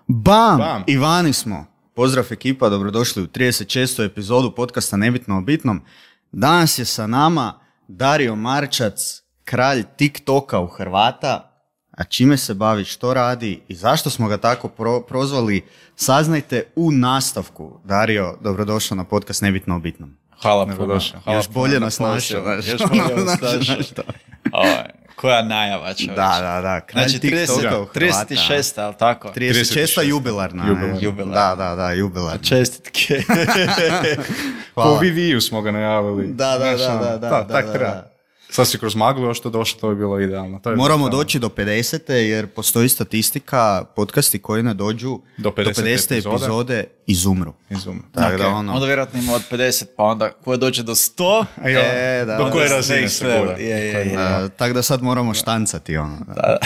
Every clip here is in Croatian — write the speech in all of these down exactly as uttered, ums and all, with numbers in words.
Bam! Bam! I vani smo. Pozdrav ekipa, dobrodošli u trideset šestu epizodu podcasta Nebitno o bitnom. Danas je sa nama Dario Marčac, kralj TikToka u Hrvata. A čime se bavi, što radi i zašto smo ga tako pro- prozvali, saznajte u nastavku. Dario, dobrodošao na podcast Nebitno o bitnom. Hvala puno. Hvala Još bolje nas našao. Još bolje nas našao. Koja najava, čovječ. Da, da, da. Kralj Znači, TikToka u Hrvata. trideset šest, ali tako? trideset šesta jubilarna. Jubilarna. Jubilarna. Da, da, da, jubilarna. Čestitke. Po V V U smo ga najavili. Da, da, da, Znaš, da, ono, da, ta- da, tak da, treba. da. Sad si kroz maglu još to došlo, to bi bilo idealno. To je Moramo idealno. doći do pedesete jer postoji statistika, podcasti koji ne dođu Do pedesete pedesete epizode. epizode izumru. Izum. Tako Ok, da ono... Onda vjerojatno ima od pedeset, pa onda koje dođe do sto, A jo, E, da, do da, koje da, razine next se level. gura? Je, je, Do koje- je. Uh, tako da sad moramo štancati ono. Da.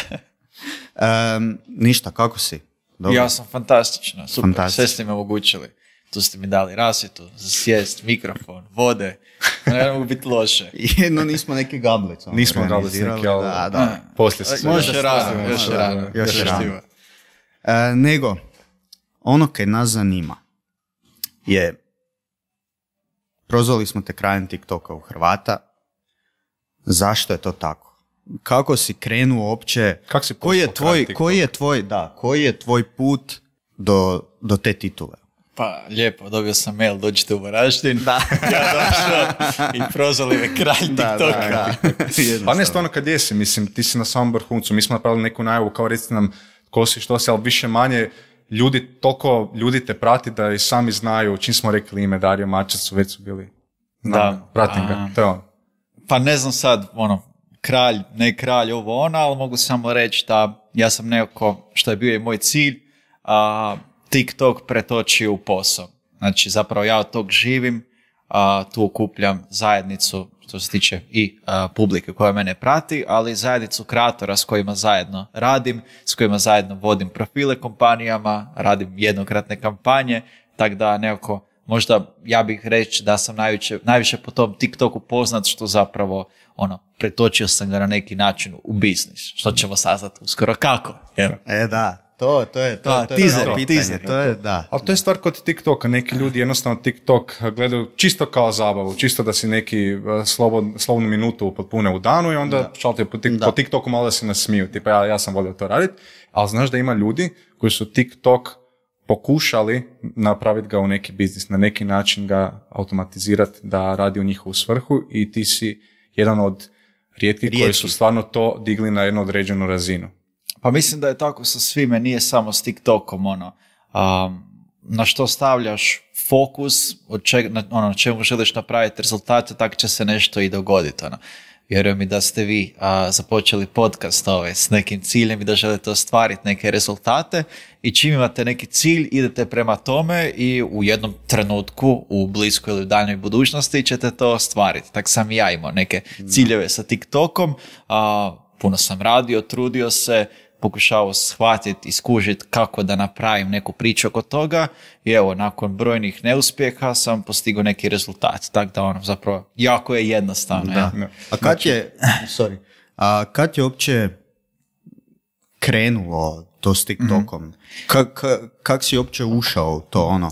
Um, ništa, kako si? Dobro. Ja sam fantastično, super, Fantastično. sve ste mi omogućili. Tu ste mi dali rasvjetu, za sjest, mikrofon, vode, ne mogu biti loše. Jedno nismo neki gablic. ono, Nismo gablic organizirali, neki, ali- Da, da. Poslije se sve. Još je da, rano, da, još je da, rano. još je Još rano. živo. E, nego, ono kaj nas zanima je, prozvali smo te krajem TikToka u Hrvata, zašto je to tako? Kako si krenuo uopće, Kako si koji je postao tvoj, kralj TikToka? koji je tvoj, da, koji je tvoj put do, do te titule? Pa, lijepo, dobio sam mail, dođite u Varaždin. Da. Ja došao i prozvali me kralj TikToka. Pa ne, stvarno kad jesi, mislim, ti si na samom vrhuncu, mi smo napravili neku najavu, kao recite nam ko si, što si, ali više manje ljudi, toliko ljudi te prati da i sami znaju, čim smo rekli ime Dario Marčac, su već su bili. Znam, Da. pratim ga, A. to je on. Pa ne znam sad, ono, kralj, ne kralj, ovo ona, ali mogu samo reći da ja sam nekako, što je bio i moj cilj, a, TikTok pretočio u posao. Znači, zapravo ja od tog živim, a, tu okupljam zajednicu, što se tiče i a, publike koja mene prati, ali i zajednicu kreatora s kojima zajedno radim, s kojima zajedno vodim profile kompanijama, radim jednokratne kampanje, tako da nekako, možda ja bih reći da sam najviše, najviše po tom TikToku poznat što zapravo ono, pretočio sam ga na neki način u biznis, što ćemo saznati uskoro kako. Jel? E da, to, to je to, Da, to je teaser, pravo pitanje, teaser. to je, da. Ali to je stvar kod TikToka, neki ljudi jednostavno TikTok gledaju čisto kao zabavu, čisto da si neki uh, slobod, slobodnu minutu potpune u danu i onda šalte po, tik, Da. po TikToku malo da se nasmiju, tipa ja, ja sam volio to raditi, ali znaš da ima ljudi koji su TikTok pokušali napraviti ga u neki biznis, na neki način ga automatizirati da radi u njihovu svrhu i ti si jedan od rijetkih koji Rijetki. su stvarno to digli na jednu određenu razinu. Pa mislim da je tako sa svime, nije samo s TikTokom, ono, um, na što stavljaš fokus, od čeg, na, ono, na čemu želiš napraviti rezultate, tako će se nešto i dogoditi, ono. Vjerujem mi da ste vi a, započeli podcast ovaj, s nekim ciljem i da želite ostvariti neke rezultate i čim imate neki cilj, idete prema tome i u jednom trenutku, u bliskoj ili u daljnjoj budućnosti ćete to ostvariti. Tako sam i ja imao neke ciljeve sa TikTokom, a, puno sam radio, trudio se, pokušao shvatiti i skužiti kako da napravim neku priču oko toga i evo, nakon brojnih neuspjeha sam postigao neki rezultat. Tako da ono, zapravo, jako je jednostavno. Da. ja. Ne. A kad je, sorry, a kad je uopće krenulo to s TikTokom? Kak, kak, kak si uopće ušao u to ono?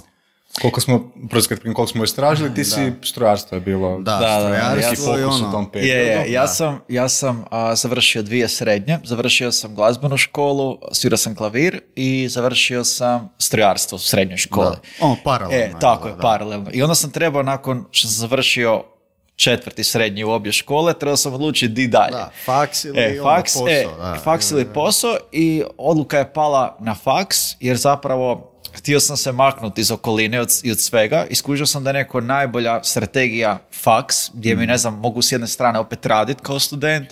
Koliko smo, prozkat, koliko smo istražili, ti si strojarstvo je bilo. Da, Da, da, strojarstvo neki i fokus ono. u tom Je, periodu. je, ja sam, ja sam a, završio dvije srednje, završio sam glazbenu školu, svirao sam klavir i završio sam strojarstvo u srednjoj školi. Da. Ono, paralelno. E, tako je, da. paralelno. I onda sam trebao, nakon što sam završio četvrti srednji u obje škole, trebao sam odlučiti di dalje. Da, faks ili E, onda faks, posao. e, da. faks ili posao i odluka je pala na faks jer zapravo htio sam se maknuti iz okoline od, i od svega. Iskužio sam da je neko najbolja strategija faks, gdje mi, ne znam, mogu s jedne strane opet raditi kao student,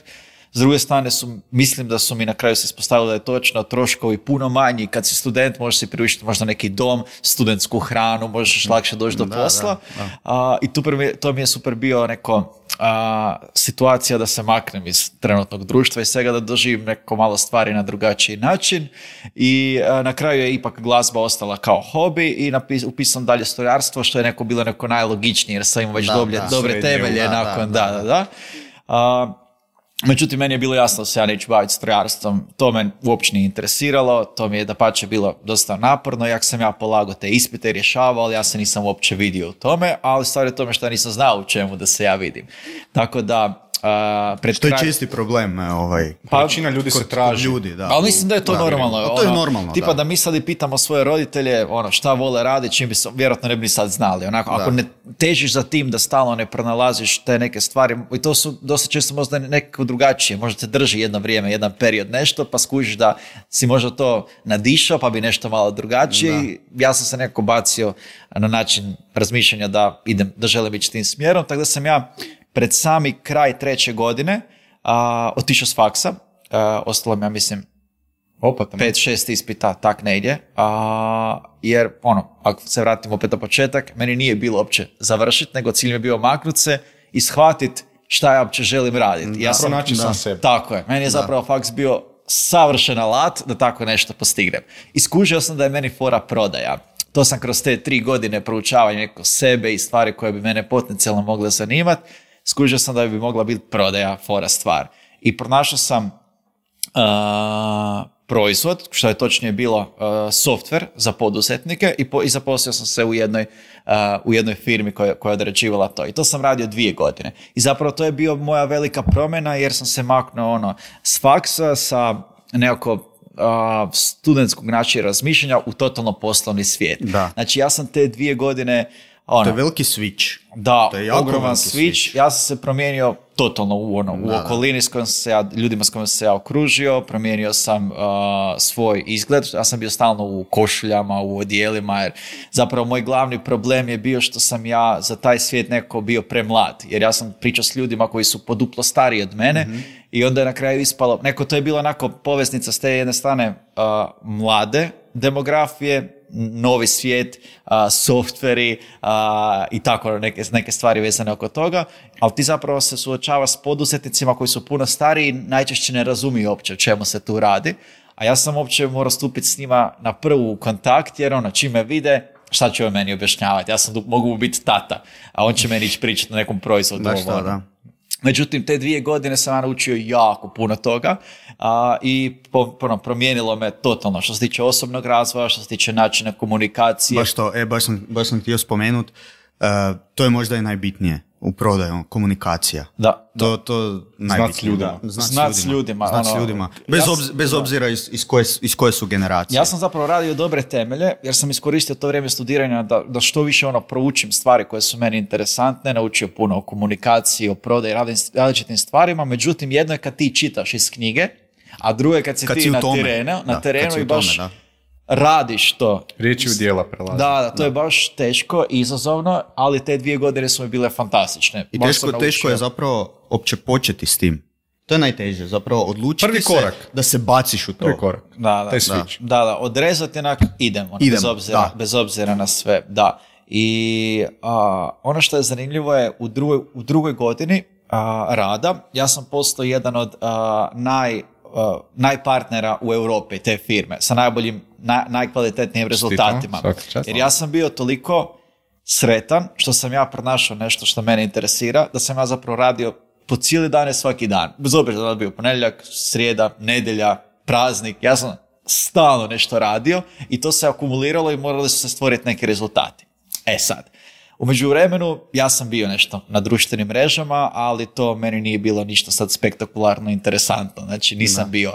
s druge strane su, mislim da su mi na kraju se ispostavili da je točno troškovi puno manji. Kad si student možeš si priuštiti možda neki dom, studentsku hranu, možeš lakše doći do Da, posla. da, da. A, I tu prvi, to mi je super bio neko a, situacija da se maknem iz trenutnog društva i svega, da doživim neko malo stvari na drugačiji način i a, na kraju je ipak glazba ostala kao hobi i napis, upisam dalje strojarstvo, što je neko bilo neko najlogičnije jer sam imao već Da, dobre, da, dobre srednje, temelje da, nakon, da, da, da. da, da. A, Međutim, meni je bilo jasno da se ja neću baviti strojarstvom, to me uopće nije interesiralo, to mi je dapače bilo dosta naporno, jak sam ja polagao te ispite i rješavao, ali ja se nisam uopće vidio u tome, ali stvar je tome što ja nisam znao u čemu da se ja vidim. Tako da, Uh, pred to je kraj... čisti problem, ovaj. Pa, većina ljudi se traži. Ljudi, da. Ali mislim da je to da, normalno. ono, to je ono, normalno, tipa da. da mi sad i pitamo svoje roditelje ono, šta vole raditi, čim bi se, vjerojatno ne bi sad znali. Onako, ako ne težiš za tim da stalno ne pronalaziš te neke stvari, i to su dosta često možda nekako drugačije, možda te drži jedno vrijeme, jedan period nešto, pa skužiš da si možda to nadišao, pa bi nešto malo drugačije. Ja sam se nekako bacio na način razmišljanja da idem, da želim ići tim smjerom, tako da sam ja pred sami kraj treće godine a, otišao s faksa, a, ostalo mi, ja mislim, pet šest ispita, tak negdje, a, jer, ono, ako se vratim opet na početak, meni nije bilo uopće završiti, nego cilj mi je bio maknut se i shvatiti šta ja uopće želim raditi. Ja sam, naći sam sebe. Tako je, meni je zapravo faks bio savršen alat da tako nešto postignem. Iskužio sam da je meni fora prodaja. To sam kroz te tri godine proučavanja neko sebe i stvari koje bi mene potencijalno mogle zanimati, skužio sam da bi mogla biti prodaja fora stvar. I pronašao sam uh, proizvod, što je točnije bilo uh, software za poduzetnike i, po, i zaposlio sam se u jednoj, uh, u jednoj firmi koja, koja je odrađivala to. I to sam radio dvije godine. I zapravo to je bio moja velika promjena jer sam se maknuo ono, s faksa, sa nekako uh, studentskog načina razmišljanja u totalno poslovni svijet. Da. Znači ja sam te dvije godine ono, to je veliki switch. Da, to je jako ogroman switch. switch. Ja sam se promijenio totalno u, ono, u da, okolini s kojom sam se ja, ljudima s kojima sam se ja okružio, promijenio sam uh, svoj izgled, ja sam bio stalno u košuljama, u odijelima, jer zapravo moj glavni problem je bio što sam ja za taj svijet nekako bio premlad, jer ja sam pričao s ljudima koji su poduplo stariji od mene, mm-hmm. i onda je na kraju ispalo, neko to je bila onako poveznica s te jedne strane uh, mlade demografije, novi svijet, uh, softveri uh, i tako neke, neke stvari vezane oko toga, ali ti zapravo se suočavaš s poduzetnicima koji su puno stariji i najčešće ne razumiju uopće o čemu se tu radi, a ja sam uopće morao stupiti s njima na prvu kontakt, jer ono, čim me vide, šta će on meni objašnjavati, ja sam mogu biti tata, a on će meni ići pričati na nekom proizvodu. Da šta, da. Međutim, te dvije godine sam ja naučio jako puno toga a, i po, po, promijenilo me totalno što se tiče osobnog razvoja, što se tiče načina komunikacije. Baš to, e, baš sam, baš sam htio spomenuti, uh, to je možda i najbitnije u prodaju, komunikacija. Da. To, to najbitnije. Znat s ljudima. Znat s ljudima. Znat s ono, ljudima. Bez, ja, obz, bez obzira iz, iz, koje, iz koje su generacije. Ja sam zapravo radio dobre temelje, jer sam iskoristio to vrijeme studiranja da, da što više ono proučim stvari koje su meni interesantne, naučio puno o komunikaciji, o prodaji, različitim stvarima, međutim jedno je kad ti čitaš iz knjige, a drugo je kad si kad ti si na tome. terenu, na da, terenu i baš tome, radiš to. Riječi u djela prelazi. Da, da, to da. je baš teško, izazovno, ali te dvije godine su mi bile fantastične. I teško, teško je zapravo opće početi s tim. To je najteže, zapravo odlučiti Prvi korak. se da se baciš u to. Prvi korak. Da, da, Taj switch. da, da, odrezati onak, idemo, idemo bez, obzira, da. bez obzira na sve, da. I a, ono što je zanimljivo je u drugoj, u drugoj godini a, rada, ja sam postao jedan od a, naj, a, najpartnera u Europi te firme, sa najboljim, na, najkvalitetnijim rezultatima. Jer ja sam bio toliko sretan što sam ja pronašao nešto što mene interesira, da sam ja zapravo radio po cijeli dane svaki dan. Bez obzira da je bio ponedjeljak, srijeda, nedjelja, praznik. Ja sam stalno nešto radio i to se akumuliralo i morali su se stvoriti neki rezultati. E sad, u međuvremenu ja sam bio nešto na društvenim mrežama, ali to meni nije bilo ništa sad spektakularno interesantno. Znači nisam da. bio,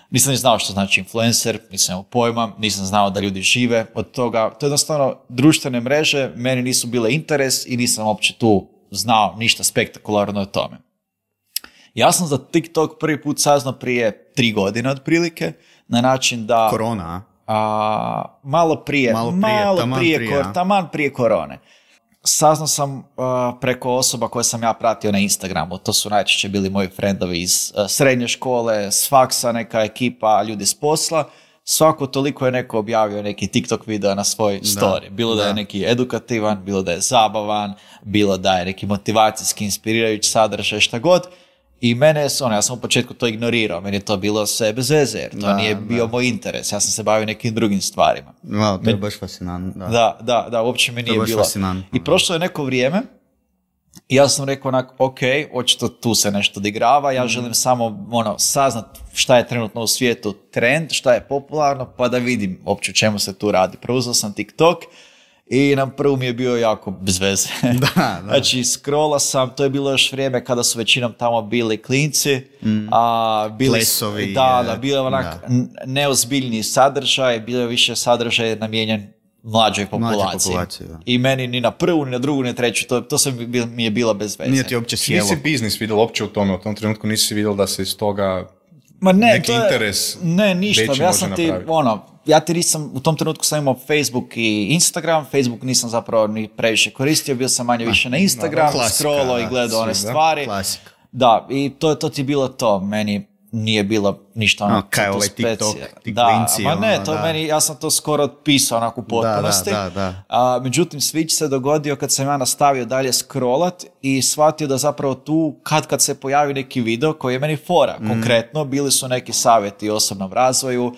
nisam ni znao što znači influencer, nisam imao pojma, nisam znao da ljudi žive od toga. To je jednostavno društvene mreže, meni nisu bile interes i nisam uopće tu znao ništa spektakularno o tome. Ja sam za TikTok prvi put saznao prije tri godine otprilike, na način da... Korona, a, malo prije, malo prije, malo taman, prije, prije, kor, taman prije korone. Saznao sam uh, preko osoba koje sam ja pratio na Instagramu, to su najčešće bili moji frendovi iz uh, srednje škole, s faksa, neka ekipa, ljudi s posla. Svako toliko je neko objavio neki TikTok video na svoj story. Bilo da, da je neki edukativan, bilo da je zabavan, bilo da je neki motivacijski, inspirirajući sadržaj, šta god. I mene, ono, ja sam u početku to ignorirao, meni je to bilo sve bez veze, jer to da, nije bio da. moj interes, ja sam se bavio nekim drugim stvarima. Wow, to je baš fascinantno. Da. da, da, da, uopće mi nije bilo. I prošlo je neko vrijeme I ja sam rekao onak, ok, očito tu se nešto odigrava, ja želim samo ono, saznat šta je trenutno u svijetu trend, šta je popularno, pa da vidim uopće o čemu se tu radi. Preuzeo sam TikTok i na prvu mi je bio jako bez veze. Da, da. Znači, scrolla sam, to je bilo još vrijeme kada su većinom tamo bili klinci, mm. a bili Plesovi, da, da, bilo je onak da. neozbiljniji sadržaj, bilo je više sadržaj namijenjen mlađoj populaciji. Da. I meni ni na prvu, ni na drugu, ni na treću, to, to sam bi, mi je bila bez veze. Nije ti uopće sjelo. Nisi biznis vidjel uopće u tome, u tom trenutku nisi vidjel da se iz toga Ma ne, neki to je, interes ne, ništa, veći ja može sam ti, napraviti. ono, ja ti nisam, u tom trenutku sam imao Facebook i Instagram, Facebook nisam zapravo ni previše koristio, bio sam manje više na Instagram, klasika, scrollao i da, gledao one svi, da. stvari. Klasika. Da, i to, to ti je bilo to, meni nije bilo ništa ono, No, kaj to ovaj specija. TikTok, ti da, klinci, ma ne, ono, to da. meni, ja sam to skoro otpisao onako u potpunosti. Da, da, da. A, međutim, switch se dogodio kad sam ja nastavio dalje scrollat i shvatio da zapravo tu kad kad se pojavi neki video koji je meni fora. Mm. Konkretno, bili su neki savjeti o osobnom razvoju uh,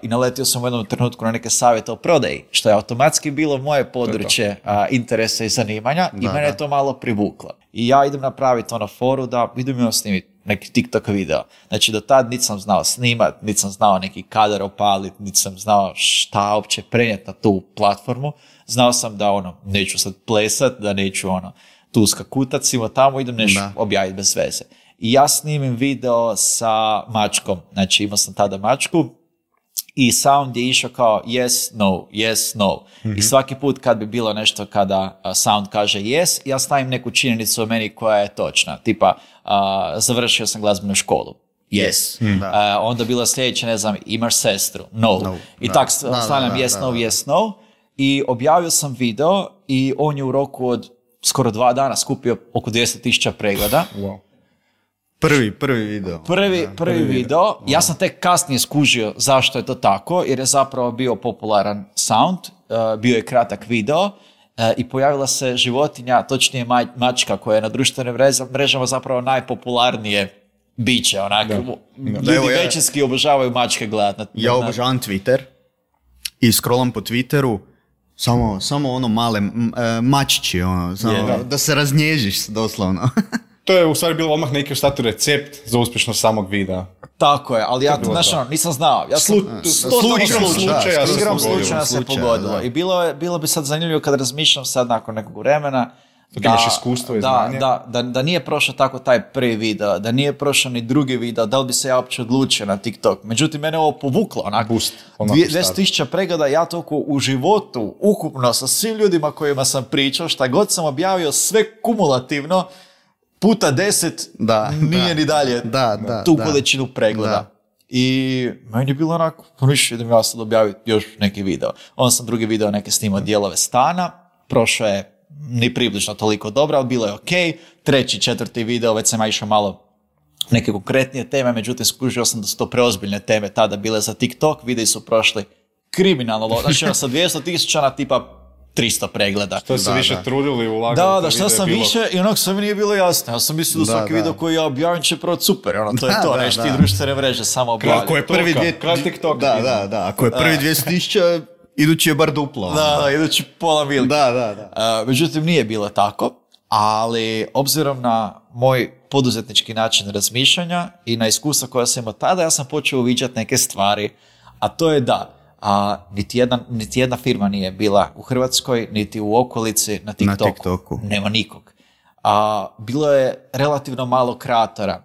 i naletio sam u jednom trenutku na neke savjete o prodaji, što je automatski bilo moje područje uh, interesa i zanimanja i Da, mene da. je to malo privuklo. I ja idem napraviti ono foru da idem imam snimiti neki TikTok video. Znači, do tad niti sam znao snimat, niti sam znao neki kadar opaliti, niti sam znao šta uopće prenijeti na tu platformu. Znao sam da ono, neću sad plesat, da neću ono, tu skakutat, simo tamo, idem nešto Da. objaviti bez veze. I ja snimim video sa mačkom. Znači, imao sam tada mačku i sound je išao kao yes, no, yes, no. Mm-hmm. I svaki put kad bi bilo nešto kada uh, sound kaže yes, ja stavim neku činjenicu o meni koja je točna. Tipa, uh, završio sam glazbenu školu. Yes. Mm. Uh, onda bilo sljedeće, ne znam, imaš sestru. No. No. I Da. tak Da, stavljam da, da, yes, da, no, da. yes, no. I objavio sam video i on je u roku od skoro dva dana skupio oko dvjesto tisuća pregleda. Wow. Prvi, prvi video. Prvi, prvi video, ja sam tek kasnije skužio zašto je to tako, jer je zapravo bio popularan sound, uh, bio je kratak video uh, i pojavila se životinja, točnije maj, mačka koja je na društvenim mreža- mrežama zapravo najpopularnije biće, onak, Da. ljudi Da, evo ja- većinski obožavaju mačke gledati. Na, Ja na- obožavam Twitter i scrollam po Twitteru samo, samo ono male m, e, mačići, ono, samo, Je, da. da se raznježiš doslovno. To je u stvari bilo odmah neki ostatu recept za uspješnost samog videa. Tako je, ali ja to, bilo znaš, to. ono, nisam znao. Ja sam, Slu- totalno igrom slučajno. slučaja se Igrom pogodilo. slučaja se Slučaja, pogodilo. da. I bilo, je, bilo bi sad zanimljivo kad razmišljam sad nakon nekog vremena, Dok imaš iskustvo i da, znanje. Da, da, da nije prošao tako taj prvi video, da nije prošao ni drugi video, da li bi se ja uopće odlučio na TikTok. Međutim, mene ovo povuklo, onako, Boost, onako dvije- start. dvjesto tisuća pregleda, ja toliko u životu, ukupno, sa svim ljudima kojima sam pričao, šta god sam objavio, sve kumulativno, puta deset, Da, nije da. ni dalje Da, da, tu da. količinu pregleda. Da. I meni je bilo onako, pa ništa, idem ja sad objaviti još neki video. Onda sam drugi video neke snimao dijelove stana, prošao je ni približno toliko dobro, ali bilo je ok. Treći, četvrti video, već sam ja išao malo neke konkretnije teme, međutim skužio sam da su to preozbiljne teme tada bile za TikTok, videi su prošli kriminalno, lo- znači ono sa dvjesto tisuća na tipa tristo pregleda. To se Da, više da. trudili i ulagali. Da, u te da, šta videe, sam bilo- više i onak sve mi nije bilo jasno. Ja sam mislio da Da, svaki da. video koji ja objavim će proći super, ono, to je Da, to, da, nešto ti da. društvene mreže samo objavljaju. Ako je prvi TikToka, dvije... kraj TikToka Da, idemo. da, da. Ako je prvi dvjesto tisuća, idući je bar duplo. ono. Da, da, idući pola milke. Da, da, da. Uh, međutim, nije bilo tako, ali obzirom na moj poduzetnički način razmišljanja i na iskustva koja sam imao tada, ja sam počeo uviđati neke stvari, a to je da a, niti, jedna, niti jedna firma nije bila u Hrvatskoj, niti u okolici na TikToku. Na TikToku. Nema nikog. A, bilo je relativno malo kreatora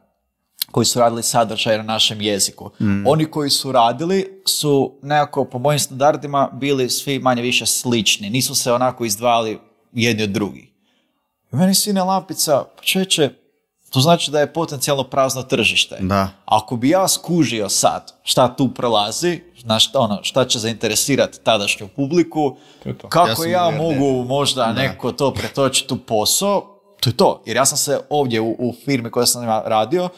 koji su radili sadržaj na našem jeziku. Mm. Oni koji su radili su nekako po mojim standardima bili svi manje više slični. Nisu se onako izdvajali jedni od drugih. I meni sine lampica, pa čeče, to znači da je potencijalno prazno tržište. Da. Ako bi ja skužio sad šta tu prolazi, na šta, ono, šta će zainteresirati tadašnju publiku, To je to. Ja kako sam ja, uvjeren. mogu možda neko to pretočiti u posao, to je to. Jer ja sam se ovdje u, u firmi koja sam radio,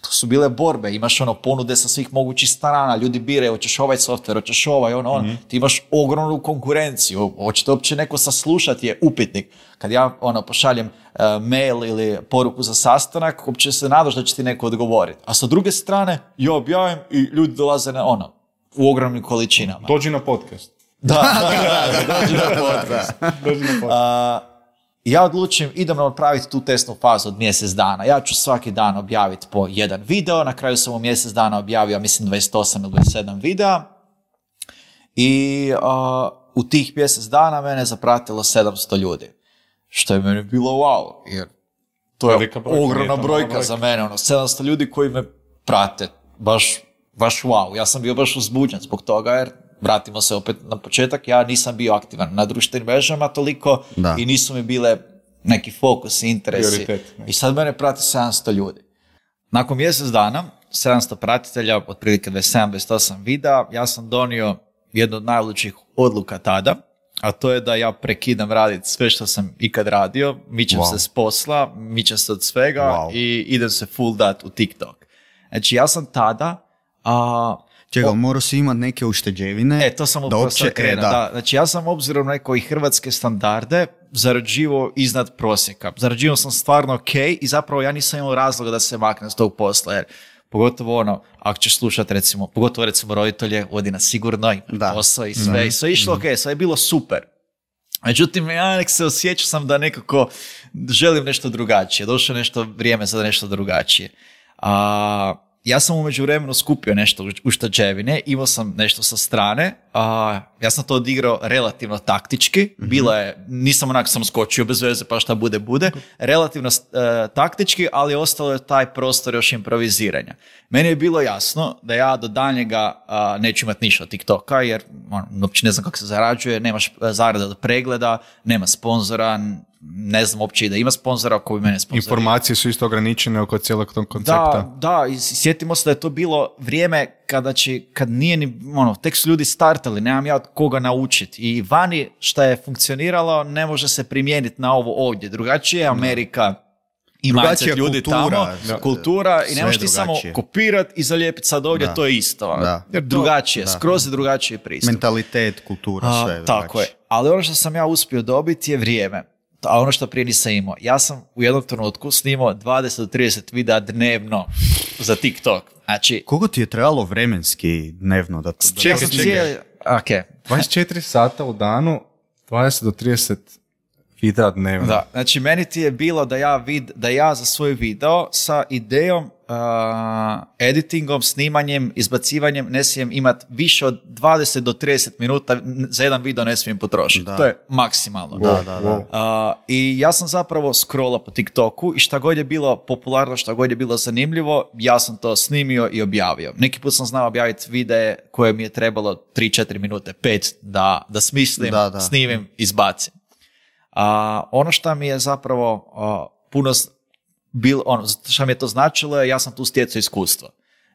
to su bile borbe, imaš ono ponude sa svih mogućih strana, ljudi biraju, hoćeš ovaj software, hoćeš ovaj, ono, on, ti imaš ogromnu konkurenciju, hoćete uopće neko saslušati je upitnik. Kad ja ono pošaljem uh, mail ili poruku za sastanak, uopće se nadaš da će ti neko odgovoriti. A sa druge strane, ja objavim i ljudi dolaze na ono, u ogromnim količinama. Dođi na podcast. Da, da, da, da, dođi na podcast. Dođi na podcast. A, I ja odlučim, idemo napraviti tu testnu fazu od mjesec dana. Ja ću svaki dan objaviti po jedan video, na kraju sam u mjesec dana objavio, mislim, dvadeset osam ili dvadeset sedam videa. I uh, u tih mjesec dana mene zapratilo sedamsto ljudi. Što je meni bilo wow, jer to je Velika brojka, ogromna nije to brojka mala za mene. Ono, sedamsto ljudi koji me prate, baš, baš wow. Ja sam bio baš uzbuđen zbog toga, jer vratimo se opet na početak, ja nisam bio aktivan na društvenim mrežama toliko Da. i nisu mi bile neki fokus, interesi. Prioritet, ne. I sad mene prati sedamsto ljudi. Nakon mjesec dana, sedamsto pratitelja, otprilike dvadeset sedam dvadeset osam videa, ja sam donio jednu od najlučih odluka tada, a to je da ja prekidam raditi sve što sam ikad radio, mičem Wow. se s posla, mičem se od svega Wow. i idem se full dat u TikTok. Znači ja sam tada... A, Čekaj, ali morao si imati neke ušteđevine. E, to sam da upravo uopće- sad krenuo, e, da. Znači, ja sam obzirom na neke hrvatske standarde zarađivao iznad prosjeka. Zarađivao sam stvarno ok i zapravo ja nisam imao razloga da se maknem s tog posla, jer pogotovo ono, ako ćeš slušati recimo, pogotovo recimo roditelje, odi na sigurno, ima Da. posao i sve, i sve je išlo ok, sve je bilo super. Međutim, ja nek se osjećao sam da nekako želim nešto drugačije, došlo je nešto vrijeme za nešto drugačije. A, ja sam u međuvremenu skupio nešto ušteđevine, imao sam nešto sa strane, a, ja sam to odigrao relativno taktički, mm-hmm. bilo je, nisam onak sam skočio bez veze pa šta bude, bude, relativno e, taktički, ali ostalo je taj prostor još improviziranja. Meni je bilo jasno da ja do daljnjega a, neću imati ništa od TikToka, jer on, uopće ne znam kako se zarađuje, nemaš zarada od pregleda, nema sponzora, ne znam uopće i da ima sponzora koji mene sponzorira. Informacije su isto ograničene oko cijelog tog koncepta. Da, da, i sjetimo se da je to bilo vrijeme kada će, kad nije ni, ono, tek su ljudi startali, nemam ja od koga naučiti. I vani šta je funkcioniralo ne može se primijeniti na ovo ovdje. Drugačije je Amerika i mindset ljudi kultura, tamo, da. kultura i Sve ne možeš ti samo drugačije. kopirati i zalijepiti sad ovdje, Da. to je isto. Da. Jer drugačije, Da. skroz je drugačije pristup. Mentalitet, kultura, A, sve je tako je. drugačije. Ali ono što sam ja uspio dobiti je vrijeme. A ono što prije nisam imao. Ja sam u jednom trenutku snimao dvadeset do trideset videa dnevno za TikTok. Znači, Koliko ti je trebalo vremenski dnevno da to... da- Čekaj, ja sam čekaj. cijeli... Ok, dvadeset četiri sata u danu, dvadeset do trideset videa dnevno. da. Znači, meni ti je bilo da ja, vid, da ja za svoj video sa idejom, uh, editingom, snimanjem, izbacivanjem ne smijem imati više od dvadeset do trideset minuta za jedan video ne smijem potrošiti. Da. To je maksimalno. Da, da, da. Uh, I ja sam zapravo scrollao po TikToku i šta god je bilo popularno, šta god je bilo zanimljivo, ja sam to snimio i objavio. Neki put sam znao objaviti videe koje mi je trebalo tri četiri minute, pet da, da smislim, Da, da. snimim, izbacim. A, ono što mi je zapravo a, puno s- bil, ono, što mi je to značilo je ja sam tu stjecao iskustvo.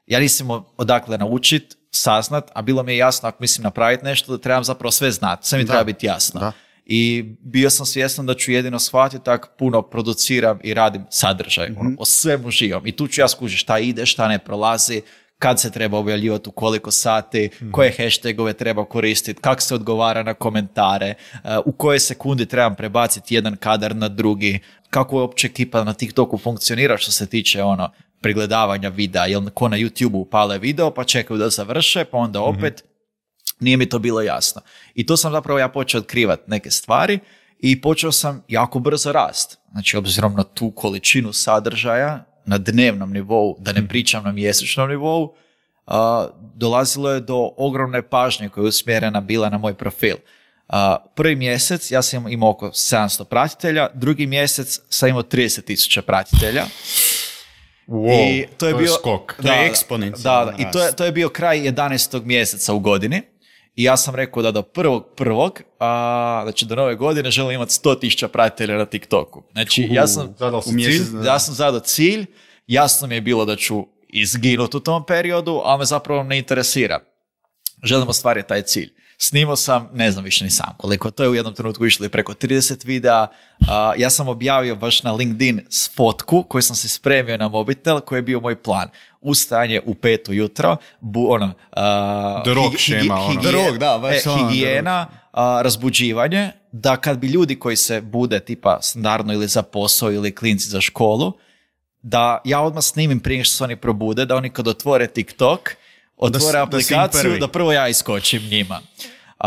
Ja nisam imao odakle naučit, saznat, a bilo mi je jasno ako mislim napraviti nešto da trebam zapravo sve znati, sve mi Da. treba biti jasno. Da. I bio sam svjestan da ću jedino shvatiti tako puno produciram i radim sadržaj, Mhm. ono, o svemu živom. I tu ću ja skužiti šta ide, šta ne prolazi, kad se treba objavljivati, u koliko sati, Mhm. koje hashtagove treba koristiti, kako se odgovara na komentare, uh, u koje sekundi trebam prebaciti jedan kadar na drugi, kako je uopće ekipa na TikToku funkcionira što se tiče ono pregledavanja videa, jel ko na YouTubeu upale video pa čekaju da završe, pa onda opet nije mi to bilo jasno. I tu sam zapravo ja počeo otkrivati neke stvari i počeo sam jako brzo rast. Znači, obzirom na tu količinu sadržaja na dnevnom nivou, da ne pričam na mjesečnom nivou, a, dolazilo je do ogromne pažnje koja je usmjerena bila na moj profil. A, prvi mjesec ja sam imao oko sedamsto pratitelja, drugi mjesec sam imao trideset tisuća pratitelja. Wow, I to je bio skok. To je Da, eksponencijalan da, da. I to je, to je bio kraj jedanaestog mjeseca u godini. I ja sam rekao da do prvog prvog, a, znači do nove godine želim imati sto tisuća pratitelja na TikToku. Znači, ja sam, Zadao si u mjesec cilj? dana. ja sam zadao cilj, jasno mi je bilo da ću izginuti u tom periodu, a me zapravo ne interesira. Želim ostvariti taj cilj. Snimao sam, ne znam više ni sam koliko, to je u jednom trenutku išlo i preko trideset videa. A, ja sam objavio baš na LinkedIn s fotku koju sam se spremio na mobitel, koji je bio moj plan. Ustajanje u pet ujutro, bu, ono, a, The Rock higi- šema, higi- ono. The Rock, da, baš e, ono, The higijena, a, razbuđivanje, da kad bi ljudi koji se bude tipa standardno ili za posao ili klinci za školu, da ja odmah snimim prije što se oni probude, da oni kad otvore TikTok, otvore Da si- da si im aplikaciju, prvi. da prvo ja iskočim njima.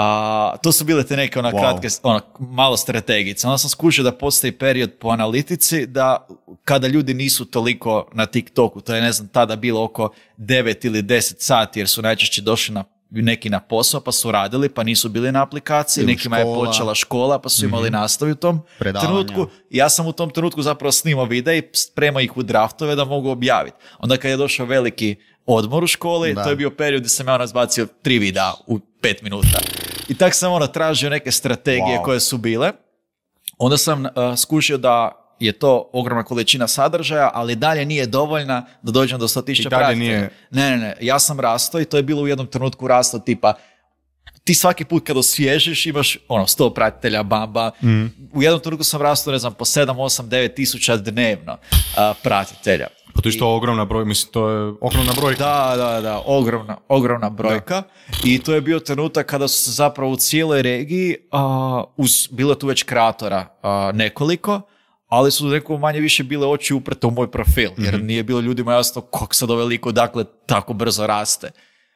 A, to su bile te neke ona Wow. kratke, ono, malo strategice. Onda sam skužio da postoji period po analitici da kada ljudi nisu toliko na TikToku, to je ne znam tada bilo oko devet ili deset sati jer su najčešće došli na neki na posao pa su radili pa nisu bili na aplikaciji, Ili nekima je škola. počela škola pa su imali Mhm. nastavu u tom Predavanja. trenutku. Ja sam u tom trenutku zapravo snimao videa i spremao ih u draftove da mogu objaviti. Onda kad je došao veliki odmor u školi, Da. to je bio period gdje sam ja razbacio tri videa u pet minuta. I tak sam ono tražio neke strategije Wow. koje su bile. Onda sam uh, skušio da je to ogromna količina sadržaja, ali dalje nije dovoljna da dođem do sto tisuća I dalje pratitelja. nije- Ne, ne, ne. Ja sam rastao i to je bilo u jednom trenutku rasto tipa ti svaki put kad osvježiš imaš ono sto pratitelja, bamba. Mhm. U jednom trenutku sam rastao, ne znam, po sedam, osam, devet tisuća dnevno uh, pratitelja. Pa to je što ogromna broj, mislim, to je ogromna brojka. Da, da, da, ogromna, ogromna brojka. I to je bio trenutak kada su se zapravo u cijeloj regiji, a, uz, bilo je tu već kreatora a, nekoliko, ali su neko manje više bile oči uprte u moj profil, jer nije bilo ljudima jasno kako sad ovaj lik odakle tako brzo raste.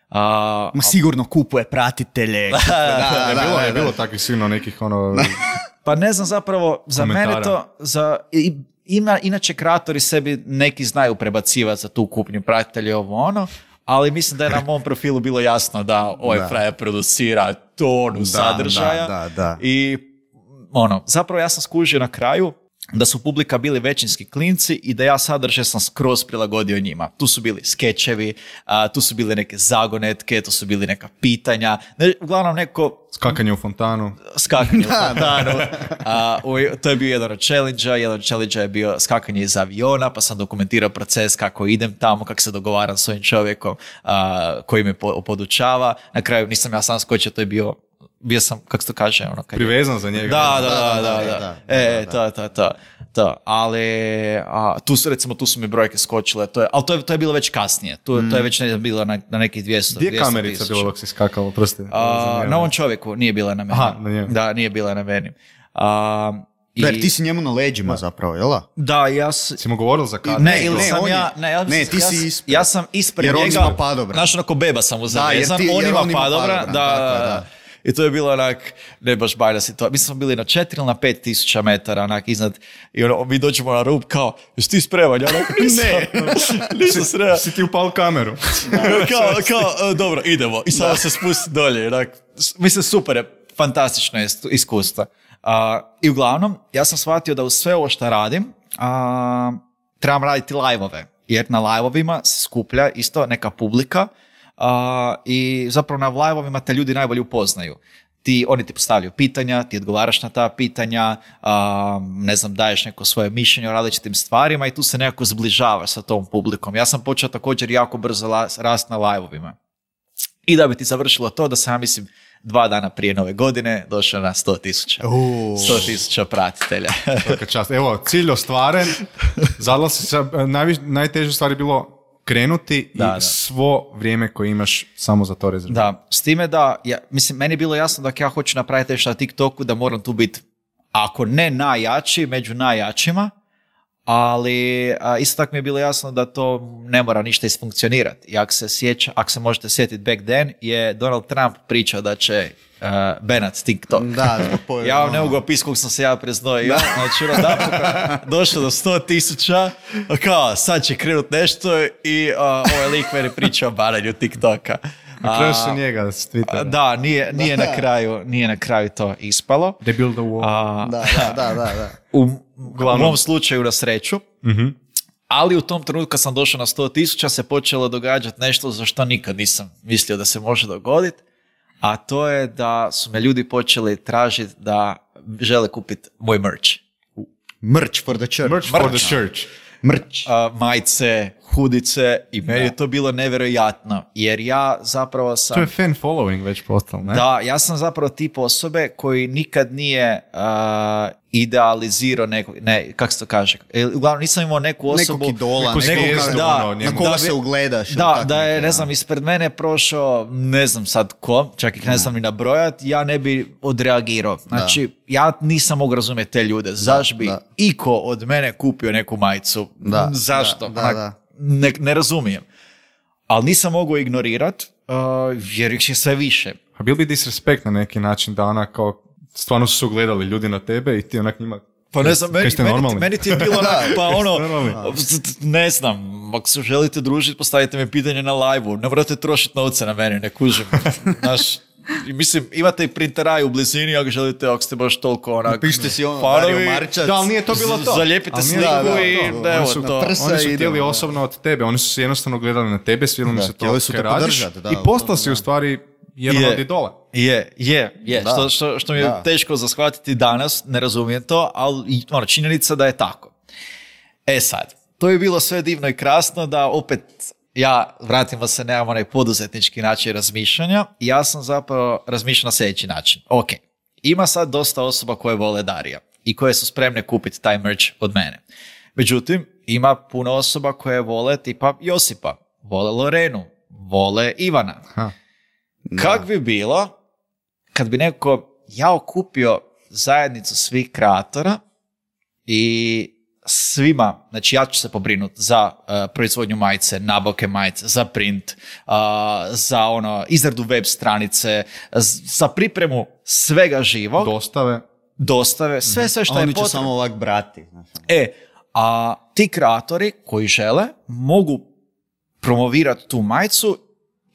A, Ma sigurno kupuje pratitelje. da, Da, da, bilo da, je da. bilo takvih sigurno nekih ono... Pa ne znam zapravo, za Komentara. mene to, za, i- ima, inače kreatori sebi neki znaju prebacivati za tu kupnju pratitelja i ovo ono, ali mislim da je na mom profilu bilo jasno da ovaj Da. frajer producira tonu Da, sadržaja. da, da, da. I ono, zapravo ja sam skužio na kraju da su publika bili većinski klinci i da ja sadržaj sam skroz prilagodio njima. Tu su bili skečevi, a, tu su bile neke zagonetke, tu su bili neka pitanja. Ne, uglavnom neko Skakanje u fontanu. skakanje u fontanu. A, u- to je bio jedan od challenge-a. Jedan od challenge-a je bio skakanje iz aviona, pa sam dokumentirao proces kako idem tamo, kako se dogovaram s ovim čovjekom a, koji me po- podučava. Na kraju nisam ja sam skočio, to je bio, bio sam, kako se to kaže, ono, kad je- Privezan za njega. da, da, Da, da, da, da, da, da. da, E, da, to, to, to, to. Ali, a, tu su, recimo, tu su mi brojke skočile, to je, ali to je, to je bilo već kasnije, tu, to je već ne, znam, bilo na, na nekih dvjesto. Gdje je dvjesto kamerica tisuća. bilo dok si skakao, prosti? A, na ovom čovjeku, nije bila na meni. Aha, na njemu. Da, nije bila na meni. A, i- Da, jer ti si njemu na leđima zapravo, jel da? Da, ja s... Si mu govoril za kada? Ne, Ne, ili ne, sam on ja... je- Ne, ja, ne, ti ja, si s- ispred. ja sam ispred Jer on njega... ima padobran. Znaš, onako beba sam mu jer zavezan, ti- on jer ima on ima padobran. padobran, Da, tako je, da, da. da. I to je bilo onak, ne baš bajna situacija. Mi smo bili na četiri ili na pet tisuća metara, onak, iznad, i ono, mi dođemo na rub, kao, jesi ti spreman? Ja onak, nisam, nisam spreman. Si ti upal kameru. kao, kao, e, dobro, idemo. I samo se spusti dolje. Onak, s- mislim, super je, fantastično je istu- iskustvo. A, I uglavnom, ja sam shvatio da uz sve ovo što radim, a, trebam raditi live-ove. Jer na live-ovima se skuplja isto neka publika a, i zapravo na live-ovima te ljudi najbolje upoznaju. Ti, oni ti postavljaju pitanja, ti odgovaraš na ta pitanja, a, ne znam, daješ neko svoje mišljenje o različitim stvarima i tu se nekako zbližavaš sa tom publikom. Ja sam počeo također jako brzo la- rast na live-ovima. I da bi ti završilo to da sam, ja mislim, dva dana prije nove godine došao na sto tisuća. Uuu. sto tisuća pratitelja. Svaka čast. Evo, cilj ostvaren. Zadala si se, najviš, najteže stvari je bilo krenuti Da, i da. svo vrijeme koje imaš samo za to rezervirati. Da, s time da, ja, mislim, meni je bilo jasno da ako ja hoću napraviti nešto na TikToku, da moram tu biti, ako ne najjači, među najjačima, ali a, isto tako mi je bilo jasno da to ne mora ništa isfunkcionirati. I ako se sjeća, ako se možete sjetiti back then, je Donald Trump pričao da će uh, banat TikTok. Da, zbog pojave, Ja vam ne ono. mogu opisati koliko sam se ja preznojio. Znači, ono, napokon došlo do sto tisuća, kao, sad će krenut nešto i uh, ovaj lik meni priča o bananju TikToka. Na kraju A, su njega s Twittera. Da, nije, nije, na kraju, nije na kraju to ispalo. They build a wall. A, Da, da, da, da, da. u, u mom slučaju na sreću, Mhm. ali u tom trenutku kad sam došao na sto tisuća se počelo događati nešto za što nikad nisam mislio da se može dogoditi, a to je da su me ljudi počeli tražiti da žele kupiti moj merch. Merch for the church. Merch for the church. Merch. A, majice, hudice i meni je to bilo nevjerojatno, jer ja zapravo sam... To je fan following već postalo, ne? Da, ja sam zapravo tip osobe koji nikad nije uh, idealizirao nekog, ne, kako se to kaže, E, uglavnom nisam imao neku osobu... Nekog idola, neku nekog zvijezdu, da, ono, njemu. na koga da, se ugledaš. ili Da, tako da je, neki, ne znam, ispred mene prošao, ne znam sad ko, čak ih ne znam ni nabrojat, ja ne bi odreagirao. Znači, ja nisam mogu razumjeti te ljude. Zašto bi da. iko od mene kupio neku majicu? Da, Zašto? da, da, Onak, da. Ne, ne razumijem. Ali nisam mogao ignorirat, uh, jer ih je sve više. A bil bi disrespekt na neki način da ona kao stvarno su gledali ljudi na tebe i ti onak njima... Pa ne znam, meni, meni, meni ti je bilo onak, pa ono, normalni? ne znam, ako se želite družiti, postavite mi pitanje na live-u, ne morate trošiti novce na mene, ne kužim. Znaš, mislim, imate i printeraj u blizini, ako želite, ako ste baš toliko onak... Pišite si ono, fanovi, Dario Marčac. Da, ali nije to bilo to. Zalijepite Ali nije- sliku da, da, i da, evo oni su, to. prsa Oni su idemo, htjeli da. osobno od tebe, oni su se jednostavno gledali na tebe, svidjelo mi Da, se to htjeli su kaj te radiš podržati, da, i u postao tome, si da. u stvari jedan Je. od idola. Je, je, je. Da. Što, što, što mi je Da. teško za shvatiti danas, ne razumijem to, ali i, ono, činjenica da je tako. E sad, to je bilo sve divno i krasno da opet ja, vratimo se, nemam onaj poduzetnički način razmišljanja i ja sam zapravo razmišljao na sljedeći način. Ok, ima sad dosta osoba koje vole Darija i koje su spremne kupiti taj merch od mene. Međutim, ima puno osoba koje vole tipa Josipa, vole Lorenu, vole Ivana. Ha. Kak bi bilo kad bi neko ja okupio zajednicu svih kreatora i svima, znači ja ću se pobrinuti za uh, proizvodnju majice, nabavke majice, za print, uh, za ono, izradu web stranice, z- za pripremu svega živog, Dostave. dostave, sve, sve što A je oni će potrebno. samo ovak brati. Znaš. E, a ti kreatori koji žele mogu promovirati tu majicu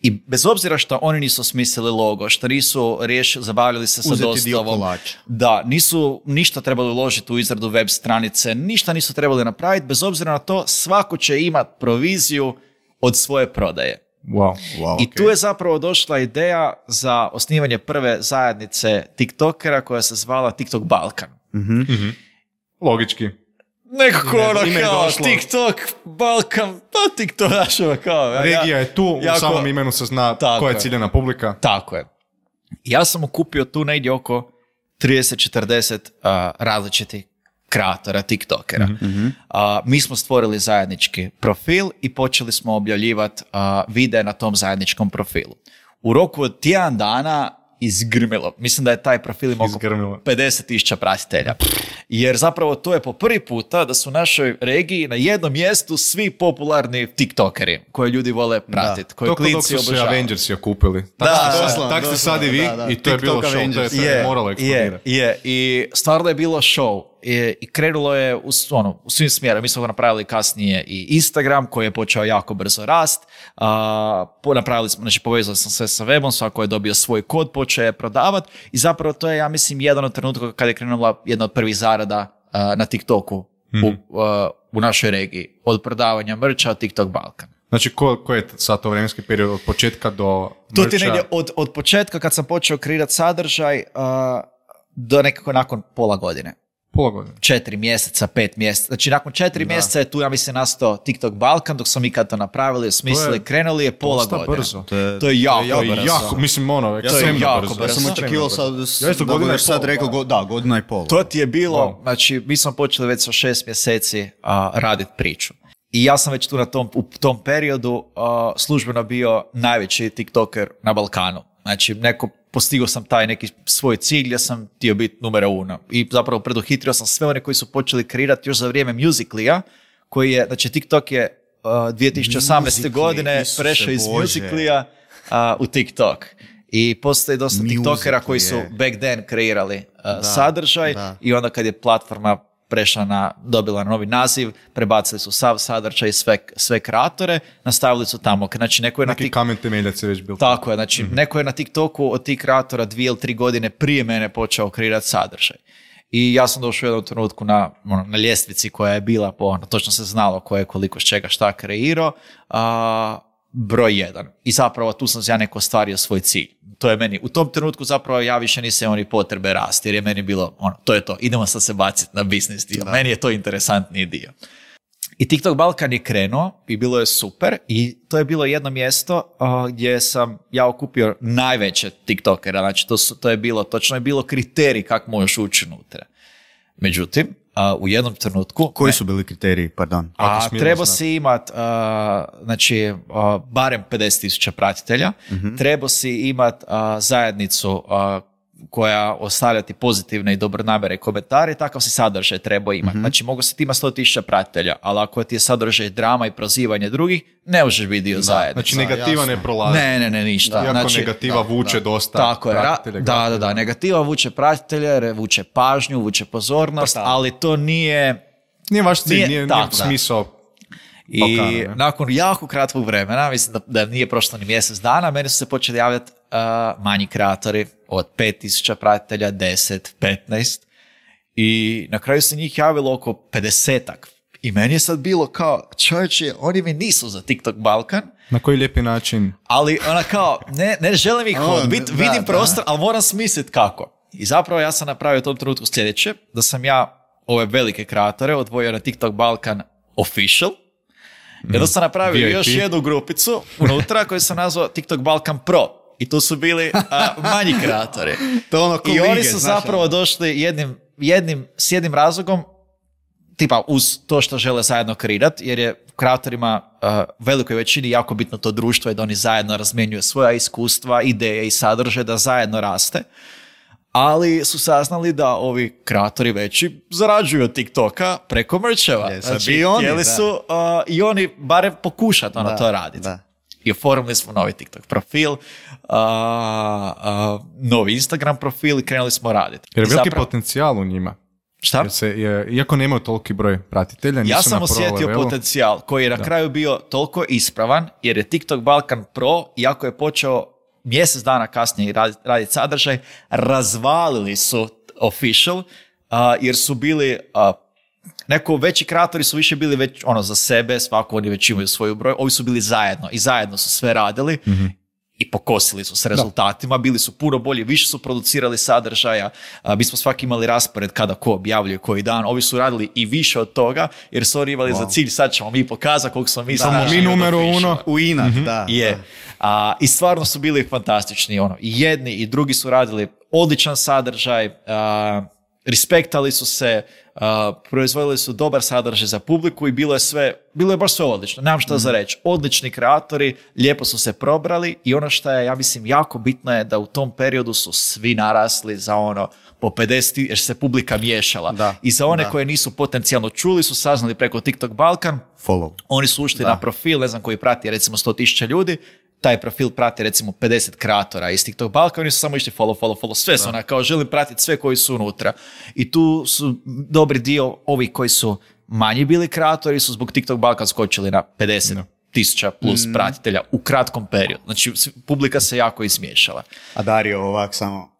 i bez obzira što oni nisu smislili logo, što nisu riješili, zabavljali se sa Uzeti dio dostavom, kolača. da, nisu ništa trebali uložiti u izradu web stranice, ništa nisu trebali napraviti, bez obzira na to svako će imati proviziju od svoje prodaje. Wow. Wow, I tu je zapravo došla ideja za osnivanje prve zajednice TikTokera koja se zvala TikTok Balkan. Logički. Nekako Ime- ono ime je kao došlo. TikTok, Balkan, pa TikTok našava kao. ja- Regija je tu, u jako- samom imenu se zna Tako koja je je. ciljena publika. Tako je. Ja sam okupio tu negdje oko trideset četrdeset uh, različitih kreatora, TikTokera. Mhm. Uh, mi smo stvorili zajednički profil i počeli smo objavljivati uh, videe na tom zajedničkom profilu. U roku od tjedan dana izgrmilo. Mislim da je taj profil imao oko Izgrmilo. pedeset tisuća pratitelja. Jer zapravo to je po prvi puta da su u našoj regiji na jednom mjestu svi popularni tiktokeri koje ljudi vole pratiti, koje To kod dok klinci su se obožavaju. Avengersi okupili. Tak Da, ste sad- doslovno, tak ste sad i doslovno, vi da, da. i to je bilo TikTok show. To je, Avengers. to je moralo eksplodirati. Je, je, i stvarno je bilo show i, i krenulo je u, s- ono, u svim smjerama. Mi smo napravili kasnije i Instagram koji je počeo jako brzo rast. A, po, napravili smo, znači povezali smo sve sa webom, svako je dobio svoj kod, počeo je prodavati i zapravo to je, ja mislim, jedan od trenutka kada je krenula jedna od prvih zarada a, na TikToku u, a, u našoj regiji. Od prodavanja mrča TikTok Balkan. Znači, ko, ko je sad to vremenski period od početka do To ti mrča? negdje od, od početka kad sam počeo kreirati sadržaj a, do nekako nakon pola godine. Pola godine. Četiri mjeseca, pet mjeseca. Znači, nakon četiri mjeseca je tu, ja mislim, nastao TikTok Balkan, dok smo mi kad to napravili, smislili, krenuli je pola Dosta godine. brzo. To je, To je jako, To je brzo. jako, mislim, ono, ekstremno jako brzo. brzo. Ja sam Brzo. očekivao sad, Ja isto da godina budeš i sad pol, rekao, da. go- da, godina i pol. To ti je bilo, Wow. znači, mi smo počeli već sa šest mjeseci a, raditi priču. I ja sam već tu na tom, u tom periodu a, službeno bio najveći TikToker na Balkanu. Znači, neko, postigao sam taj neki svoj cilj gdje sam htio biti numero uno. I zapravo preduhitrio sam sve one koji su počeli kreirati još za vrijeme Musical.ly-a, koji je, znači TikTok je uh, dvije tisuće osamnaeste Musical.ly, godine Isuse prešao iz Bože. Musical.ly-a uh, u TikTok. I postoji dosta TikTokera Musical.ly koji su je. back then kreirali uh, sadržaj da. i onda kad je platforma prešla na, dobila novi naziv, prebacili su sav sadržaj i sve, sve kreatore, nastavili su tamo. Znači, neko je na Neki TikTok... kamen temeljac je već bil. Tako je, znači neko je na TikToku od tih kreatora dvije ili tri godine prije mene počeo kreirati sadržaj. I ja sam došao u jednom trenutku na, ono, na ljestvici koja je bila, po, ono, točno se znalo ko je koliko s čega šta kreirao, a, broj jedan. I zapravo tu sam ja neko ostvario svoj cilj. To je meni, u tom trenutku zapravo ja više nisam imao ni potrebe rasti, jer je meni bilo, ono, to je to, idemo sad se baciti na biznis dio. Meni je to interesantniji dio. I TikTok Balkan je krenuo i bilo je super i to je bilo jedno mjesto uh, gdje sam ja okupio najveće TikTokera, znači to, su, to je bilo, točno je bilo kriterij kako možeš ući unutra. Međutim, uh, u jednom trenutku... Koji su bili kriteriji, pardon? Ako A smijemo trebao znati. si imat, uh, znači, uh, barem pedeset tisuća pratitelja, trebao si imat uh, zajednicu uh, koja ostavlja ti pozitivne i dobronamjerne komentare, takav si sadržaj trebao imati. Mhm. Znači, mogu se ti ima sto tisuća pratitelja, ali ako ti je sadržaj drama i prozivanje drugih, ne možeš biti dio zajednice. Znači negativa jasno. ne prolazi. Ne, ne, ne, ništa. Iako Znači, negativa da, vuče da. dosta tako je, ra- pratitelja. da, da, da, negativa vuče pratitelje, vuče pažnju, vuče pozornost, Pa da. ali to nije... Nije vaš cilj, Nije- nije, nije, tako, da. smisao. I Balkana, ne? nakon jako kratkog vremena, mislim da, da nije prošlo ni mjesec dana, meni su se počeli javljati uh, manji kreatori od pet tisuća pratitelja, deset, petnaest i na kraju se njih javilo oko pedesetak. I meni je sad bilo kao, čovječe, oni mi nisu za TikTok Balkan, Na koji lijepi način? ali ona kao, ne, ne želim ih O, odbit, da, vidim da. prostor, ali moram smisliti kako. I zapravo ja sam napravio u tom trenutku sljedeće, da sam ja ove velike kreatore odvojio na TikTok Balkan Official, i onda sam napravio V I P. još jednu grupicu unutra koju sam nazvao TikTok Balkan Pro. I tu su bili a, manji kreatori. To je ono ko I oni lige, su znaš, zapravo ono. došli jednim, jednim, s jednim razlogom, tipa uz to što žele zajedno kreirati, jer je kreatorima uh, velikoj većini jako bitno to društvo i da oni zajedno razmjenjuju svoja iskustva, ideje i sadržaje, da zajedno raste. Ali su saznali da ovi kreatori veći zarađuju od TikToka preko mercheva. Je, sad Znači, bi i oni, htjeli da. su uh, i oni barem pokušati ono Da, to raditi. da. I oformili smo novi TikTok profil, uh, uh, novi Instagram profil i krenuli smo raditi. Jer je I veliki zapravo- potencijal u njima. Šta? Jer se, je, iako nemaju toliki broj pratitelja, nisu Ja sam na pro osjetio levelu. potencijal koji je na kraju bio toliko ispravan, jer je TikTok Balkan Pro, iako je počeo mjesec dana kasnije raditi radit sadržaj, razvalili su Official, a, jer su bili, a, neko veći kreatori su više bili već ono za sebe, svako oni već imaju svoju broj, ovi su bili zajedno i zajedno su sve radili. I pokosili su s rezultatima, bili su puno bolji, više su producirali sadržaja, a, mi smo svaki imali raspored kada ko objavljuje koji dan, ovi su radili i više od toga, jer su oni imali za cilj, sad ćemo mi pokazati koliko smo mi Samo sadržaja mi od numero Officiala. uno. U inat, da. Je. da. A, I stvarno su bili fantastični. Ono. I jedni i drugi su radili odličan sadržaj, a, respektali su se, a, proizvodili su dobar sadržaj za publiku i bilo je sve, bilo je baš sve odlično. Nemam šta za reći. Odlični kreatori, lijepo su se probrali i ono što je, ja mislim, jako bitno je da u tom periodu su svi narasli za ono po pedeset, jer se publika miješala. Da, I za one da. koje nisu potencijalno čuli su saznali preko TikTok Balkan, Follow. oni su ušli Da. na profil, ne znam, koji prati recimo sto tisuća ljudi, taj profil prati recimo pedeset kreatora iz TikTok Balkan, oni su samo išli follow, follow, follow, sve su ona kao želim pratiti sve koji su unutra. I tu su dobri dio ovih koji su manji bili kreatori su zbog TikTok Balkan skočili na pedeset tisuća plus pratitelja u kratkom periodu. Znači s- publika se jako izmiješala. A Dario ovak samo...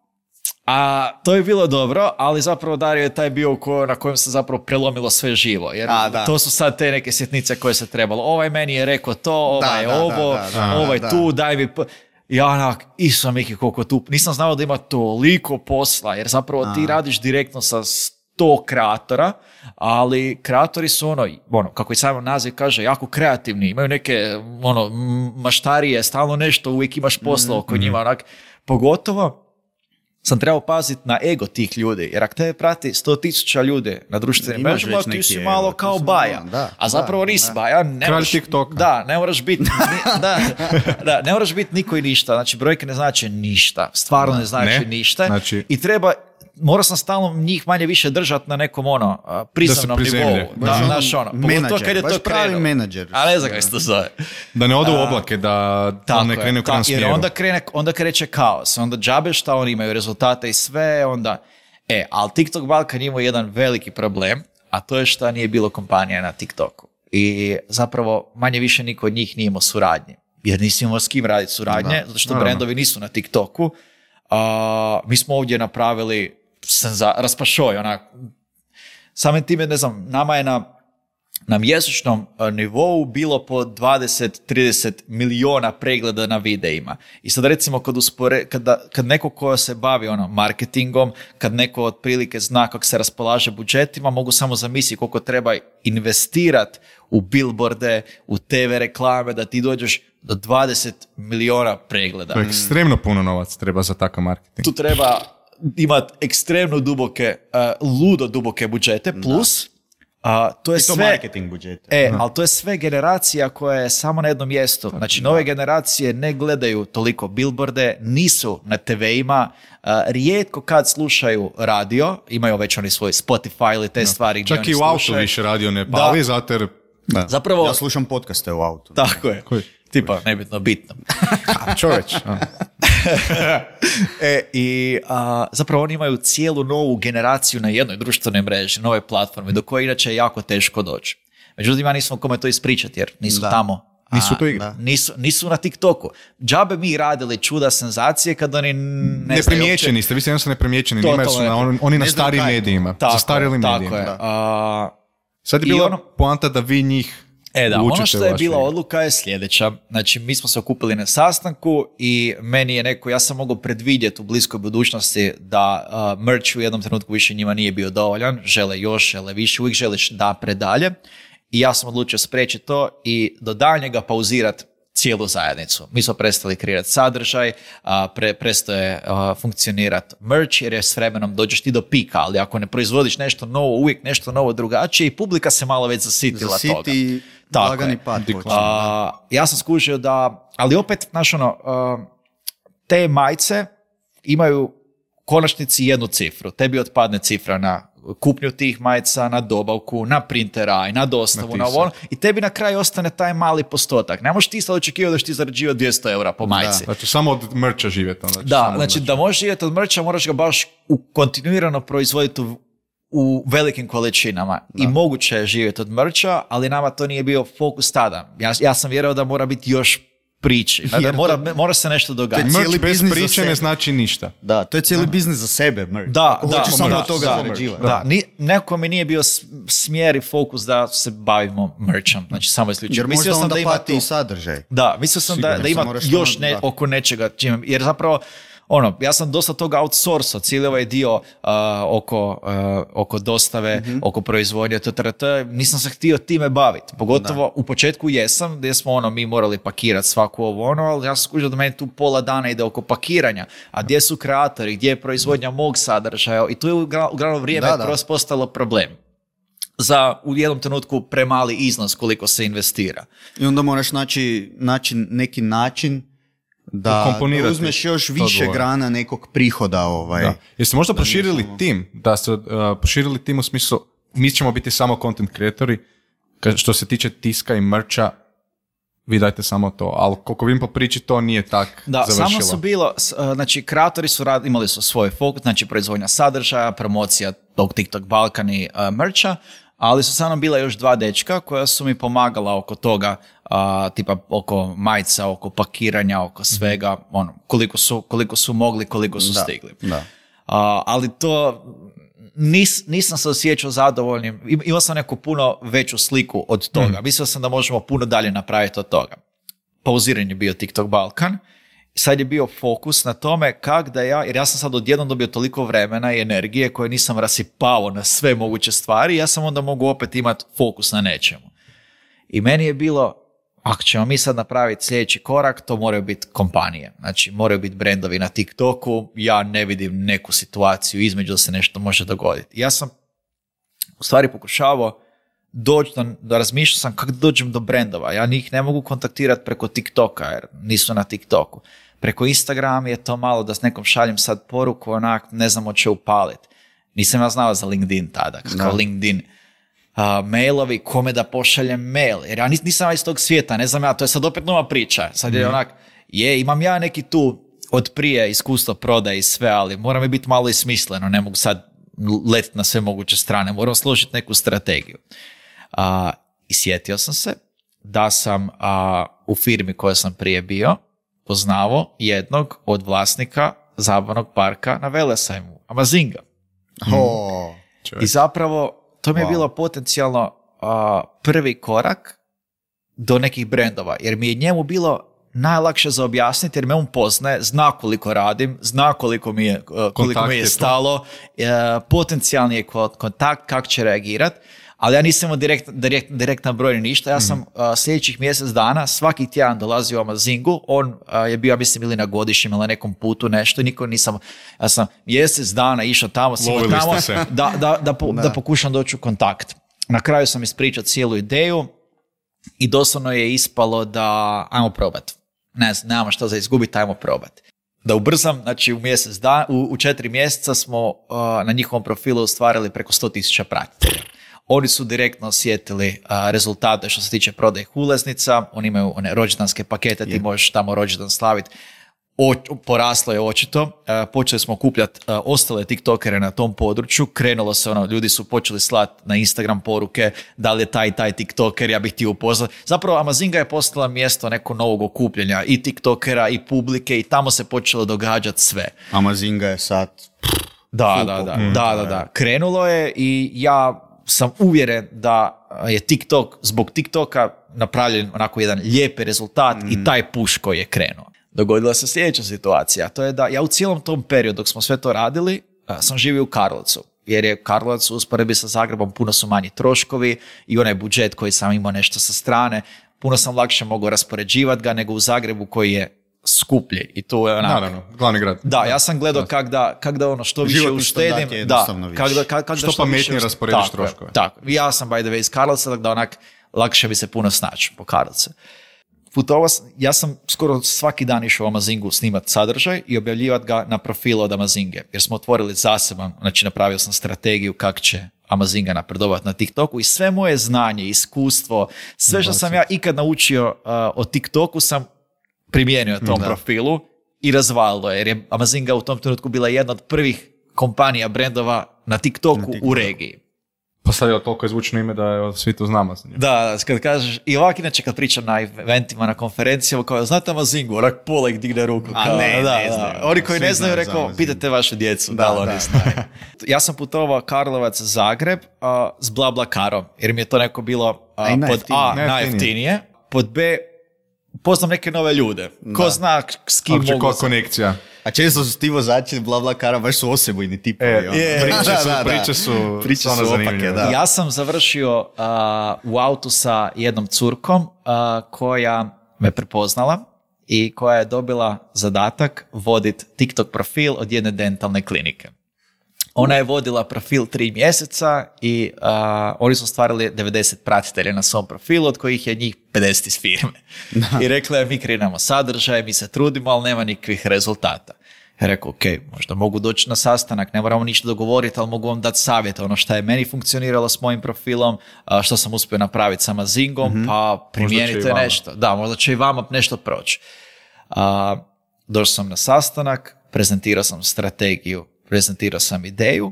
A to je bilo dobro, ali zapravo Dario je taj bio ko, na kojem se zapravo prelomilo sve živo. Jer A, da. to su sad te neke sitnice koje se trebalo. Ovaj meni je rekao to, ovaj je da, da, ovo, da, da, ovaj da. tu, daj mi... p- Ja onak, isam Miki koliko tu... Nisam znao da ima toliko posla, jer zapravo ti radiš direktno sa sto kreatora, ali kreatori su ono, ono, kako i sam naziv kaže, jako kreativni, imaju neke ono, m- maštarije, stalno nešto, uvijek imaš posla oko njima, onak, pogotovo sam trebao paziti na ego tih ljudi, jer ako te prati sto tisuća ljudi na društvenim Imaš mrežama, već ti neki si ego, malo ti kao si baja, malo, da, a zapravo da, nisi da. baja. Ne Kralj moraš, TikToka. da, ne moraš biti, ni- da, da, ne moraš biti niko i ništa, znači brojke ne znači ništa, stvarno ne znači Ne, ništa znači- i treba, morao sam stalno njih manje više držati na nekom ono, a, prizemnom prizemlje. nivou, da, Baš ono znaš ono, pogotovo menadžer, kad je baš to pravi krenulo. menadžer. A ne znam kako se to zove. Da ne odu u oblake, da, da Tako ne je, krene u krivom ta- jer smjeru. onda, krene, onda kreće kaos, onda džabe šta oni imaju rezultate i sve, onda... E, ali TikTok Balkan imao jedan veliki problem, a to je šta nije bilo kompanija na TikToku. I zapravo manje više niko od njih nije imao suradnje. Jer nisi imao s kim raditi suradnje, zato što naravno. brendovi nisu na TikToku. A, mi smo ovdje napravili senza, raspašoj, onak, samim time, ne znam, nama je na na mjesečnom a, nivou bilo po dvadeset do trideset miliona pregleda na videima. I sad recimo kad, uspore, kada, kad neko ko se bavi ono, marketingom, kad neko otprilike zna kako se raspolaže budžetima, mogu samo zamisliti koliko treba investirati u billboarde, u te ve reklame, da ti dođeš do dvadeset miliona pregleda. To je ekstremno puno novac treba za takav marketing. Tu treba imati ekstremno duboke, uh, ludo duboke budžete, plus A, to je I to sve, marketing budžete. E, ali to je sve generacija koja je samo na jednom mjestu. Znači, nove generacije ne gledaju toliko billboarde, nisu na te ve-ima, a, rijetko kad slušaju radio, imaju već oni svoj Spotify ili te stvari gdje Čak oni i u autu slušaju. više radio ne pali, Da. zato jer... Da. Zapravo- Ja slušam podcaste u autu. Tako je. Koji? Tipa, nebitno, bitno. Čovječ. a. E, i a, zapravo oni imaju cijelu novu generaciju na jednoj društvenoj mreži, nove platforme, do koje inače je jako teško doći. Međutim, ja nisam kome to ispričati, jer nisu Da. tamo. a, Nisu to igre. da. Nisu, nisu na TikToku. Džabe mi radili čuda senzacije kad oni ne, Ne znaju primjećeni ste, vi ste jednostavno neprimjećeni, Totalno njima su na, on- oni na Ne znaju starijim kaj je to. medijima, Tako je, zastarelim tako medijima. je. Da. A, Sad je I bila ono- poanta da vi njih E da, učite ono što u je vašoj bila igri. odluka je sljedeća. Znači, mi smo se okupili na sastanku i meni je neko, ja sam mogao predvidjeti u bliskoj budućnosti da uh, merch u jednom trenutku više njima nije bio dovoljan, žele još, žele više, uvijek želiš da predalje. I ja sam odlučio spriječiti to i do daljnjega pauzirati cijelu zajednicu. Mi smo prestali kreirati sadržaj, a, pre, prestaje a, funkcionirati merch, jer je s vremenom dođeš ti do pika, ali ako ne proizvodiš nešto novo, uvijek nešto novo drugačije i publika se malo već zasitila toga. Zasiti Tako lagani je. pad. Deklan. počne. A, ja sam skužio da, ali opet, znaš ono, a, te majice imaju u konačnici jednu cifru. Tebi otpadne cifra na kupnju tih majica, na dobavku, na printera, na dostavu, Na na, tisak. ovo, i tebi na kraju ostane taj mali postotak. Ne možeš ti sad očekivati da ćeš ti zarađivati dvjesto eura po majici. Znači, samo od merča živjeti. Onda, Da, samo znači od da možeš živjeti od merča, moraš ga baš u, kontinuirano proizvoditi u, u velikim količinama. I moguće je živjeti od merča, ali nama to nije bio fokus tada. Ja, ja sam vjerovao da mora biti još priči. Da Jer mora, mora se nešto događati. cijeli Merch bez biznis za priče ne sebe. znači ništa. Da, to je cijeli biznis za sebe, merch. Da, Ako da, hoćeš samo da, od toga da, zarađivati. Da, ni, neko mi nije bio s- smjer i fokus da se bavimo merchom. Znači samo isključivo. Jer Mislio možda sam onda da ima pati tu- i sadržaj. Da, mislio sam da, Sigurno, da ima se moraš još tamo- ne, da. oko nečega, čime, jer zapravo, ono, ja sam dosta toga outsourcao, cijeli ovaj dio uh, oko, uh, oko dostave, Mhm. oko proizvodnje, to, to, to, nisam se htio time baviti. Pogotovo u početku jesam, gdje smo ono, mi morali pakirati svaku ovo ono, ali ja sam skužio da meni tu pola dana ide oko pakiranja, a gdje su kreatori, gdje je proizvodnja mog sadržaja, i tu je ugra- uglavnom vrijeme Da, da. kroz postalo problem. Za u jednom trenutku premali iznos koliko se investira. I onda moraš naći, naći neki način da Ukomponirati uzmeš još to više dvoje. grana nekog prihoda. Ovaj. Da. Jeste možda proširili samo- tim? Da ste uh, proširili tim u smislu, mi ćemo biti samo content creatori, ka- što se tiče tiska i merča, vi dajte samo to, ali koliko vidim po priči, to nije tak Da, završilo. samo su bilo, s- uh, znači kreatori su rad, imali su svoj fokus, znači proizvodnja sadržaja, promocija tog TikTok Balkan i uh, merča, ali su samo bila još dva dečka koja su mi pomagala oko toga, uh, tipa oko majica, oko pakiranja, oko svega, ono, koliko su, koliko su mogli, koliko su Da, stigli. da. Uh, ali to nis, nisam se osjećao zadovoljnim. Im- Imao sam neku puno veću sliku od toga. Mislio sam da možemo puno dalje napraviti od toga. Pauziran je bio TikTok Balkan. Sad je bio fokus na tome kak da ja, jer ja sam sad odjednom dobio toliko vremena i energije koje nisam rasipao na sve moguće stvari, ja sam onda mogu opet imati fokus na nečemu. I meni je bilo, ako ćemo mi sad napraviti sljedeći korak, to moraju biti kompanije. Znači, moraju biti brendovi na TikToku, ja ne vidim neku situaciju između da se nešto može dogoditi. Ja sam u stvari pokušavao doći, da, da razmišljao sam kako dođem do brendova. Ja njih ne mogu kontaktirati preko TikToka, jer nisu na TikToku. Preko Instagrama je to malo da s nekom šaljem sad poruku, onak, ne znam hoće upaliti. Nisam ja znao za LinkedIn tada, kao Da. LinkedIn. Uh, mailovi, kome da pošaljem mail, jer ja nis- nisam iz tog svijeta, ne znam ja, to je sad opet nova priča, sad je onak, je, imam ja neki tu od prije iskustvo prodaje i sve, ali mora mi biti malo i smisleno, ne mogu sad letiti na sve moguće strane, moram složiti neku strategiju. Uh, I sjetio sam se da sam uh, u firmi koja sam prije bio poznavao jednog od vlasnika zabavnog parka na Velesajmu, Amazinga. O, Čovječ. I zapravo to mi je Wow. bilo potencijalno a, prvi korak do nekih brendova, jer mi je njemu bilo najlakše za objasniti, jer me on poznaje, zna koliko radim, zna koliko mi je, a, koliko Kontakt mi je je tu. stalo, e, potencijalni je ko- kontakt, kako će reagirat, ali ja nisam imao direkt, direkt, direktan broj ni ništa. Ja sam a, sljedećih mjesec dana svaki tjedan dolazio u Amazingu, on a, je bio, ja mislim, ili na godišnjem ili na nekom putu nešto, niko nisam, ja sam mjesec dana išao tamo, svima Lovili tamo, ste se. da, da, da, po- Da. da pokušam doći u kontakt. na kraju sam ispričao cijelu ideju i doslovno je ispalo da ajmo probati. Ne znam, nemamo što za izgubiti, ajmo probati. Da ubrzam, znači u mjesec dan, u, u četiri mjeseca smo uh, na njihovom profilu ostvarili preko sto tisuća pratitelja. Oni su direktno osjetili uh, rezultate što se tiče prodaje ulaznica, oni imaju one rođendanske pakete, ti možeš tamo rođendan slaviti. O, poraslo je očito, uh, počeli smo okupljati uh, ostale tiktokere na tom području, krenulo se ono, ljudi su počeli slati na Instagram poruke, da li je taj taj tiktoker, ja bih htio upoznati. Zapravo Amazinga je postala mjesto nekog novog okupljanja i tiktokera i publike i tamo se počelo događati sve. Amazinga je sad... Da, da, da, mm, da, da, da. Krenulo je i ja sam uvjeren da je TikTok zbog TikToka napravljen onako jedan lijepi rezultat mm. i taj push koji je krenuo. Dogodila se sljedeća situacija, to je da ja u cijelom tom periodu dok smo sve to radili, sam živio u Karlovcu, jer je Karlovac u usporedbi sa Zagrebom puno su manji troškovi i onaj budžet koji sam imao nešto sa strane, puno sam lakše mogao raspoređivati ga nego u Zagrebu koji je skuplji. I to je onak... Naravno, glavni grad. Da, ja sam gledao kak da, kak da ono što više uštedim, da, kak da, kak, kak što, da što pametnije više rasporediš tako, troškove. Tako, ja sam by the way iz Karlovca, da onak lakše bi se puno snaći po Karlovcu. Putovao, ja sam skoro svaki dan išao u Amazingu snimati sadržaj i objavljivati ga na profilu od Amazinge, jer smo otvorili zaseban, znači napravio sam strategiju kako će Amazinga napredovati na TikToku i sve moje znanje, iskustvo, sve što sam ja ikad naučio uh, o TikToku sam primijenio na tom da. profilu i razvalilo je, jer je Amazinga u tom trenutku bila jedna od prvih kompanija, brendova na TikToku, na TikToku. u regiji. Pa sad je toliko izvučno ime da je svi to znamo. Da, kad kažeš, i ovak inače kad pričam na eventima, na konferencijama, kao, znate Amazingu, onak pola ih digne ruku. A kao, ne, da, ne znaju. Oni koji ne znaju, rekao, pitajte vašu djecu, da, da li oni znaju. Ja sam putovao Karlovac, Zagreb uh, s BlaBlaCarom, jer mi je to neko bilo uh, pod A, najjeftinije, pod B, poznam neke nove ljude. Ko da. zna s kim Opće, mogu... Ko konekcija. A često su ti vozači BlaBlaCara baš su osebujni tipovi. E, je, priče, da, su, da, priče su, priče su opake, da. Ja sam završio uh, u autu sa jednom curkom uh, koja me prepoznala i koja je dobila zadatak voditi TikTok profil od jedne dentalne klinike. Ona je vodila profil tri mjeseca i uh, oni su stvarili devedeset pratitelja na svom profilu, od kojih je njih pedeset iz firme. Da. I rekla je, mi kreiramo sadržaj, mi se trudimo, ali nema nikakvih rezultata. Ja rekao, ok, možda mogu doći na sastanak, ne moramo ništa dogovoriti, ali mogu vam dati savjete, ono što je meni funkcioniralo s mojim profilom, uh, što sam uspio napraviti sa Amazingom, mm-hmm. pa primijenite nešto. Da, možda će i vama nešto proći. Uh, došao sam na sastanak, prezentirao sam strategiju, prezentirao sam ideju,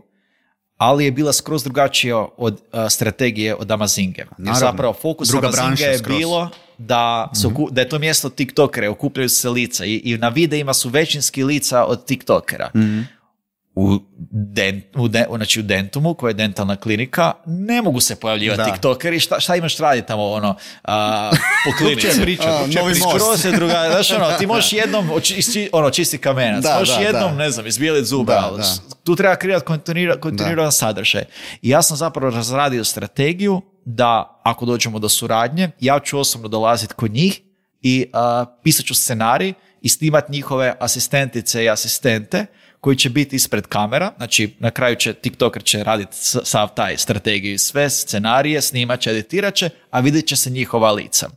ali je bila skroz drugačija od uh, strategije od Amazinge. Jer zapravo fokus Amazinge je skroz. bilo da, su, mm-hmm. da je to mjesto tiktokera, okupljaju se lica i, i na videima su većinski lica od tiktokera. Mm-hmm. U, den, u, de, znači u Dentumu, koja je dentalna klinika, ne mogu se pojavljivati da. tiktokeri. Šta, šta imaš raditi tamo ono, a, po klinici? Uče pričat, a, uče novi pričat. Skroz je druga, znaš ono, ti možeš jednom oči, ono, čisti kamenac, da, možeš da, jednom, da. ne znam, izbijeliti zuba, da, ali da. tu treba kreirati kontinuira, kontinuiran sadržaj. I ja sam zapravo razradio strategiju da ako dođemo do suradnje, ja ću osobno dolaziti kod njih i a, pisat ću scenarij i snimati njihove asistentice i asistente koji će biti ispred kamera, znači na kraju će TikToker će raditi sav taj strategiju i sve, scenarije, snimat će, editirat će, a vidjet će se njihova lica.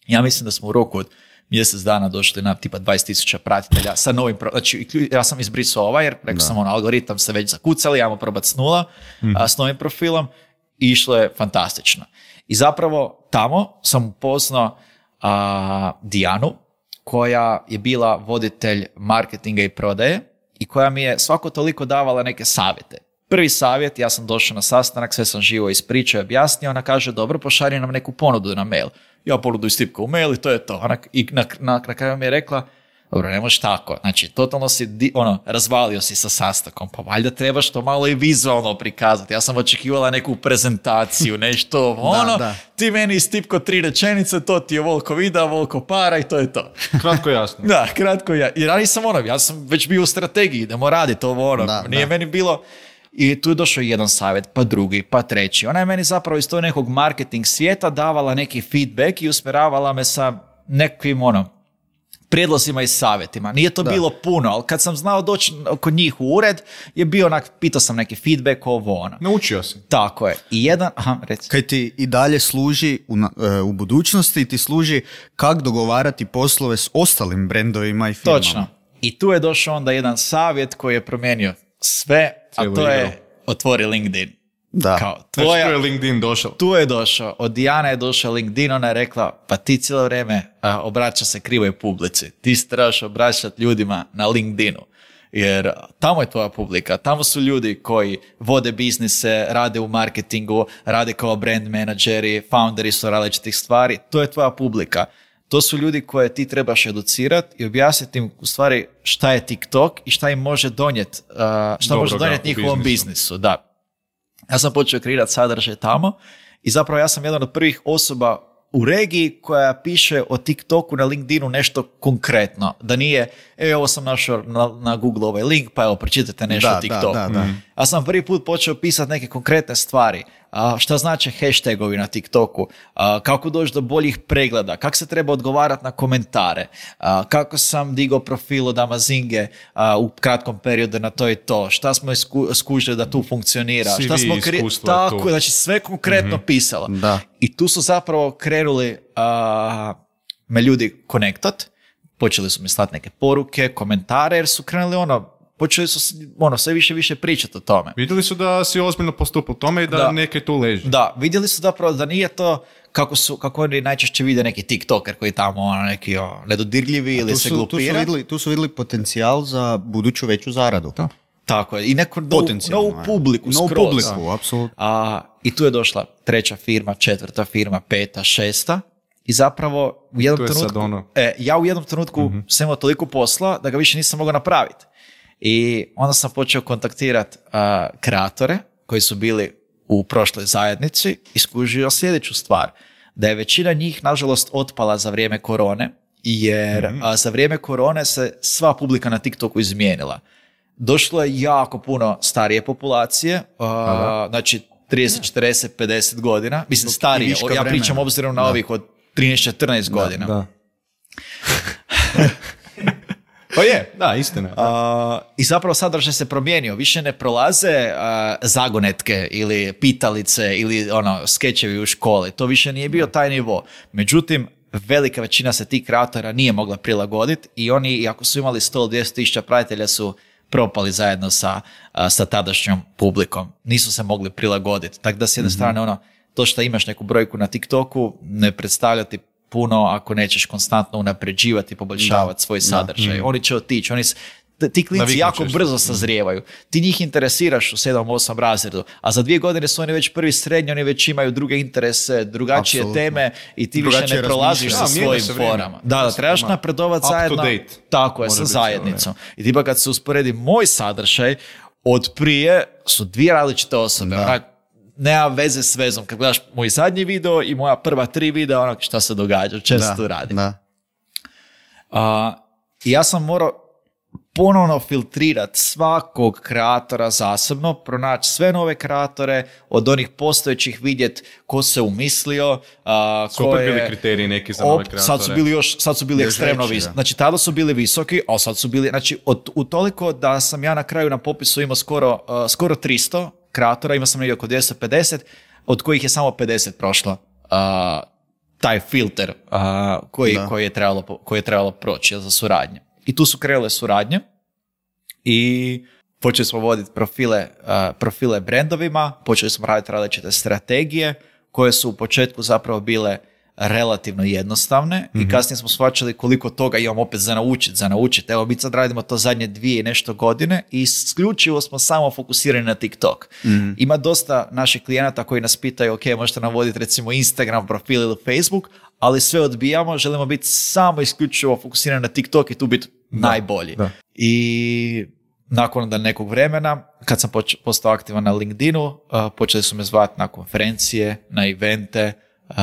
Ja mislim da smo u roku od mjesec dana došli na tipa dvadeset tisuća pratitelja sa novim, pro... znači ja sam izbrisao ovaj jer rekao da. sam ono, algoritam se već zakucali, ajmo probati s nula, mm. a, s novim profilom i išlo je fantastično. I zapravo tamo sam upoznao a, Dijanu, koja je bila voditelj marketinga i prodaje, i koja mi je svako toliko davala neke savjete. Prvi savjet, ja sam došao na sastanak, sve sam živo ispričao i objasnio, ona kaže, dobro, pošalji nam neku ponudu na mail. Ja ponudu istipkao u mail i to je to. Ona, I na, na, na kraju mi je rekla, dobro, ne možeš tako. Znači, totalno si, ono, razvalio si sa sastankom, pa valjda trebaš to malo i vizualno prikazati. Ja sam očekivala neku prezentaciju, nešto, ono, da, da. Ti meni istipko tri rečenice, to ti je voliko videa, voliko para i to je to. Kratko jasno. Da, kratko ja. I ja nisam ono, ja sam već bio u strategiji, idemo raditi ovo, ono, da, nije da. meni bilo... I tu je došao jedan savjet, pa drugi, pa treći. Ona je meni zapravo iz tog nekog marketing svijeta davala neki feedback i usmjeravala me sa nekim, ono, prijedlozima i savjetima. Nije to Da. bilo puno, ali kad sam znao doći kod njih u ured, je bio onak, pitao sam neki feedback, ovo ono. Naučio si. Tako je. I jedan, aha, reci. Kaj ti i dalje služi u, na- e, u budućnosti, ti služi kako dogovarati poslove s ostalim brendovima i firmama. Točno. I tu je došao onda jedan savjet koji je promijenio sve, a Cijelu to je igru. otvori LinkedIn. Da. Kao, Znači, tu tvoja, je LinkedIn došao. tu je došao, od Dijana je došao LinkedIn, ona je rekla, pa ti cijelo vrijeme a, obraća se krivoj publici. Ti se trebaš obraćati ljudima na LinkedInu. Jer tamo je tvoja publika, tamo su ljudi koji vode biznise, rade u marketingu, rade kao brand menadžeri, founderi su različitih stvari, to je tvoja publika. To su ljudi koje ti trebaš educirati i objasniti im u stvari šta je TikTok i šta im može donijeti, uh, šta može Dobroga donijeti u njihovom biznisu. biznisu. Da. Ja sam počeo kreirati sadržaj tamo i zapravo ja sam jedan od prvih osoba u regiji koja piše o TikToku na LinkedInu nešto konkretno. Da nije, evo ovo sam našao na, na Google ovaj link, pa evo pročitajte nešto Da, o TikToku. da, da, da. Ja sam prvi put počeo pisati neke konkretne stvari. A, šta znači hashtagovi na TikToku, a, kako doći do boljih pregleda, kako se treba odgovarati na komentare, a, kako sam digao profil od Amazinge a, u kratkom periodu na to i to, šta smo isku, skužili da tu funkcionira, C V šta smo iskustvo je tako, tu. znači sve konkretno pisalo. Da. I tu su zapravo krenuli a, me ljudi konektat, počeli su mi slati neke poruke, komentare, jer su krenuli ono, počeli su s- ono, sve više i više pričati o tome. Vidjeli su da si ozbiljno postupao tome i da, Da. neke tu leži. Da, vidjeli su zapravo da nije to kako su, kako oni najčešće vide neki TikToker koji tamo ono, neki o, nedodirljivi ili Tu se su, tu, su glupira. vidjeli, tu su vidjeli potencijal za buduću veću zaradu. Da. Tako je. I neku novu, Potencijalno, novu je. publiku Novu skroz. publiku, apsolutno. A, I tu je došla treća firma, četvrta firma, peta, šesta. I zapravo u jednom Tu je sad trenutku, ono. e, ja u jednom trenutku Mhm. sam imao toliko posla da ga više nisam mogao napraviti. I onda sam počeo kontaktirati kreatore koji su bili u prošloj zajednici i skužio sljedeću stvar. Da je većina njih, nažalost, otpala za vrijeme korone, jer Mhm. a, za vrijeme korone se sva publika na TikToku izmijenila. Došlo je jako puno starije populacije, a, znači trideset, četrdeset, pedeset godina, mislim Zbog starije, viška ja pričam vremena. obzirom na Da. ovih od trinaest, četrnaest godina. Da. Pa je, da, istina je. A, I zapravo sadržaj se promijenio. Više ne prolaze a, zagonetke ili pitalice ili ono, skečevi u školi. To više nije bio taj nivo. Međutim, velika većina se tih kreatora nije mogla prilagoditi i oni, iako su imali sto do dvjesto tisuća pratitelja, su propali zajedno sa, a, sa tadašnjom publikom. Nisu se mogli prilagoditi. Tako da s jedne strane ono, to što imaš neku brojku na TikToku ne predstavlja ti puno ako nećeš konstantno unapređivati i poboljšavati svoj sadržaj. Oni će otići, oni s- t- ti klinci Naviknut jako ćeš. brzo sazrijevaju. Ti njih interesiraš u sedam osam razredu, a za dvije godine su oni već prvi srednji, oni već imaju druge interese, drugačije Apsolutno. teme i ti više Drugačije ne prolaziš sa razmišljanje. Da, mijenja svojim se vrijeme. forama. Da, da, trebaš Ma, napredovati up to zajedno. date. Tako je, Mora sa biti cijelo zajednicom. I tipa kad se usporedi moj sadržaj, od prije su dvije različite osobe. Onak, nema veze s vezom. Kad gledaš moj zadnji video i moja prva tri videa, onak šta se događa, o čem se tu radi. Da. A, i ja sam morao ponovno filtrirati svakog kreatora zasebno, pronaći sve nove kreatore, od onih postojećih vidjeti ko se umislio, a, Su ko opet je... bili kriteriji neki za nove Op, kreatore. sad su bili još, sad su bili Još ekstremno veći, visoki. da. Znači, tada su bili visoki, a sad su bili, znači, od, u toliko da sam ja na kraju na popisu imao skoro, uh, skoro tristo kreatora, imao sam negdje oko dvjesto pedeset, od kojih je samo pedeset prošlo uh, taj filter uh, koji, Da. koji, je trebalo, po- koji je trebalo proći za suradnje. I tu su krenule suradnje i počeli smo voditi profile, uh, profile brendovima, počeli smo raditi različite strategije koje su u početku zapravo bile relativno jednostavne i kasnije smo shvaćali koliko toga imam opet za naučiti, za naučiti. Evo, mi sad radimo to zadnje dvije i nešto godine i isključivo smo samo fokusirani na TikTok. Ima dosta naših klijenata koji nas pitaju, ok, možete nam voditi recimo Instagram profil ili Facebook, ali sve odbijamo, želimo biti samo isključivo fokusirani na TikTok i tu biti najbolji. da. I nakon da nekog vremena, kad sam poč- postao aktivan na LinkedInu, uh, počeli su me zvati na konferencije, na evente, uh,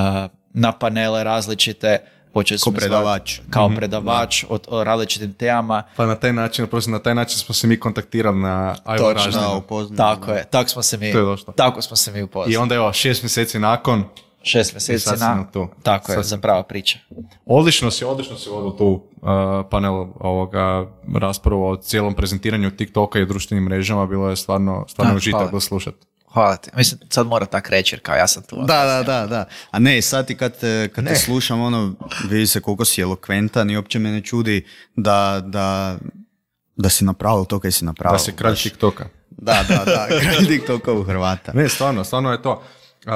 na panele različite, počeli su Kao me zvati predavač. kao predavač o, o različitim temama. Pa na taj način, oprosti, na taj način smo se mi kontaktirali na Ajmo Točno. Ražnjinu. Da, upoznam. Tako je, tako smo se mi, To je došlo. tako smo se mi upoznali. I onda evo, šest mjeseci nakon, šest I mjeseci sad si na... na tu. Tako je, Sad si- za prava priča. Odlično si, odlično si vodio tu uh, panel ovoga raspravu o cijelom prezentiranju TikToka i društvenim mrežama, bilo je stvarno, stvarno Da, užitak hvala. ga slušati. Hvala ti. Mislim, sad mora tak reći jer kao ja sam tu. Da, da, da, da. A ne, sad ti kad, te, kad te slušam, ono, vidi se koliko si elokventan i uopće me ne čudi da, da, da si napravio to kaj si napravio. Da si kralj Baš- TikToka. Da, da, da, kralj TikToka u Hrvata. Ne, stvarno, stvarno je to. Uh,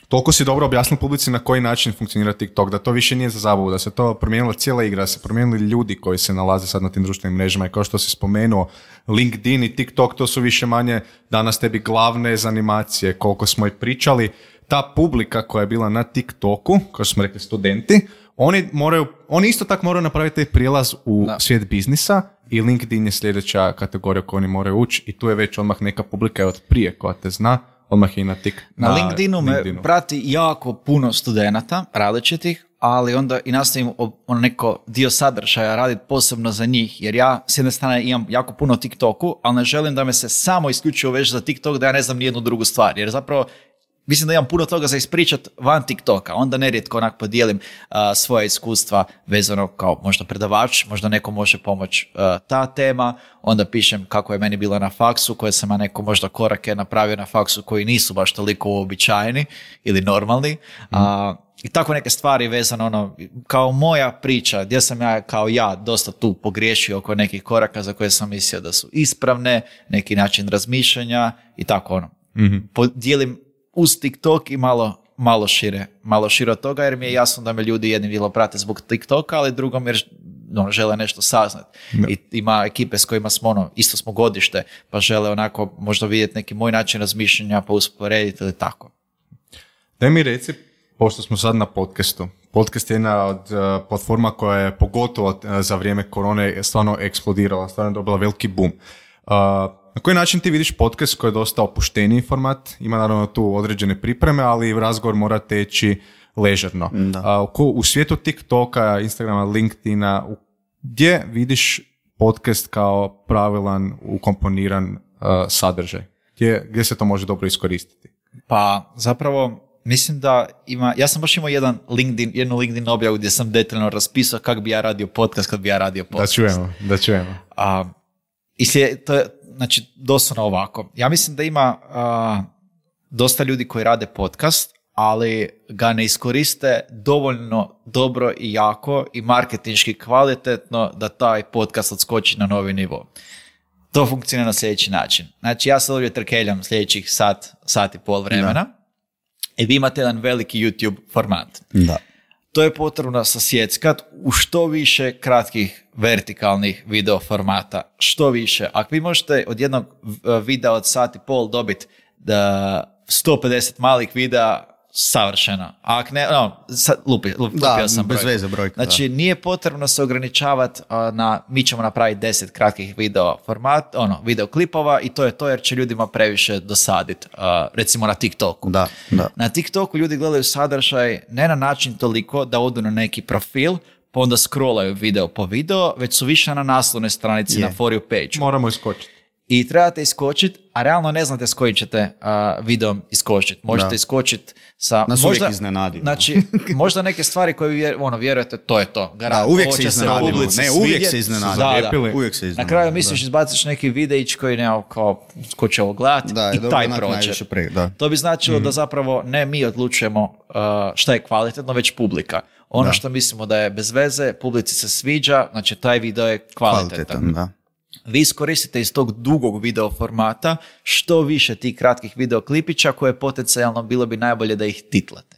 toliko si dobro objasnil publici na koji način funkcionira TikTok, da to više nije za zabavu, da se to promijenila cijela igra, da se promijenili ljudi koji se nalaze sad na tim društvenim mrežama i kao što si spomenuo, LinkedIn i TikTok, to su više manje danas tebi glavne zanimacije, koliko smo i pričali. Ta publika koja je bila na TikToku, kao što smo rekli studenti, oni moraju, oni isto tako moraju napraviti taj prijelaz u Da. svijet biznisa i LinkedIn je sljedeća kategorija koju oni moraju ući i tu je već odmah neka publika od prije koja te zna, odmah je i na tik. Na LinkedInu me prati jako puno studenata različitih, ali onda i nastavim on neko dio sadržaja raditi posebno za njih, jer ja s jedne strane imam jako puno TikToku, ali ne želim da me se samo isključivo veže za TikTok, da ja ne znam nijednu drugu stvar, jer zapravo mislim da imam puno toga za ispričat van TikToka, onda nerijetko onak podijelim uh, svoje iskustva vezano kao možda predavač, možda neko može pomoći uh, ta tema, onda pišem kako je meni bilo na faksu, koje sam ja neko možda korake napravio na faksu koji nisu baš toliko uobičajeni ili normalni. Mm. Uh, I tako neke stvari vezano, ono, kao moja priča, gdje sam ja kao ja dosta tu pogriješio oko nekih koraka za koje sam mislio da su ispravne, neki način razmišljanja i tako ono. Mm-hmm. Podijelim uz TikTok i malo, malo šire, malo šire od toga, jer mi je jasno da me ljudi jednim dijelom prate zbog TikToka, ali drugom jer ono, žele nešto saznati. I ima ekipe s kojima smo, ono, isto smo godište, pa žele onako možda vidjeti neki moj način razmišljanja, pa usporediti ili tako. Daj mi reci, pošto smo sad na podcastu, podcast je jedna od uh, platforma koja je pogotovo uh, za vrijeme korone stvarno eksplodirala, stvarno je dobila veliki boom. Uh, Na koji način ti vidiš podcast koji je dosta opušteniji format, ima naravno tu određene pripreme, ali razgovor mora teći ležerno. A, u, u svijetu TikToka, Instagrama, LinkedIna, u, gdje vidiš podcast kao pravilan, ukomponiran uh, sadržaj? Gdje, gdje se to može dobro iskoristiti? Pa zapravo mislim da ima, ja sam baš imao jedan LinkedIn, jednu LinkedIn objavu gdje sam detaljno raspisao kako bi ja radio podcast kad bi ja radio podcast. Da čujemo, da čujemo. A, i slijed, to je, znači, doslovno ovako. Ja mislim da ima a, dosta ljudi koji rade podcast, ali ga ne iskoriste dovoljno dobro i jako i marketinški kvalitetno da taj podcast odskoči na novi nivo. To funkcionira na sljedeći način. Znači, ja se ovdje trkeljam sljedećih sat, sat i pol vremena da. I vi imate jedan veliki YouTube format. Da. To je potrebno sasjeckat u što više kratkih vertikalnih video formata. Što više. Ako vi možete od jednog videa od sat i pol dobiti sto pedeset malih videa, savršeno. A ako ne, no, sad lupi, lupi, da, lupio sam bez brojku. veze brojka. Znači, da. nije potrebno se ograničavati na, mi ćemo napraviti deset kratkih video format, ono, video klipova i to je to jer će ljudima previše dosaditi, uh, recimo na TikToku. Da, da. Na TikToku ljudi gledaju sadržaj ne na način toliko da odu na neki profil, pa onda scrollaju video po video, već su više na naslovnoj stranici, Je. na For You page. Moramo iskočiti. I trebate iskočiti, a realno ne znate s kojim ćete uh, videom iskočiti. Možete Da. iskočiti sa... Nas možda, uvijek iznenadi. Znači, možda neke stvari koje vi vjer, ono, vjerujete, to je to. Garant, Da, uvijek ovo se će iznenadimo. publici Ne, uvijek svidjet. se iznenadimo. Da, da. Zalijepili. Uvijek se iznenadimo. Na kraju misliš, izbaciš neki videić koji ne, kao, ko će ovo gledati Da, i dobro, taj onak prođe. najviše pre- da. To bi značilo mm-hmm. da zapravo ne mi odlučujemo uh, šta je kvalitetno, već publika. Ono Da. što mislimo da je bez veze, publici se sviđa, znači taj video je kvalitetan. Kvalitetan, da. Vi iskoristite iz tog dugog video formata što više tih kratkih video klipića koje potencijalno bilo bi najbolje da ih titlate.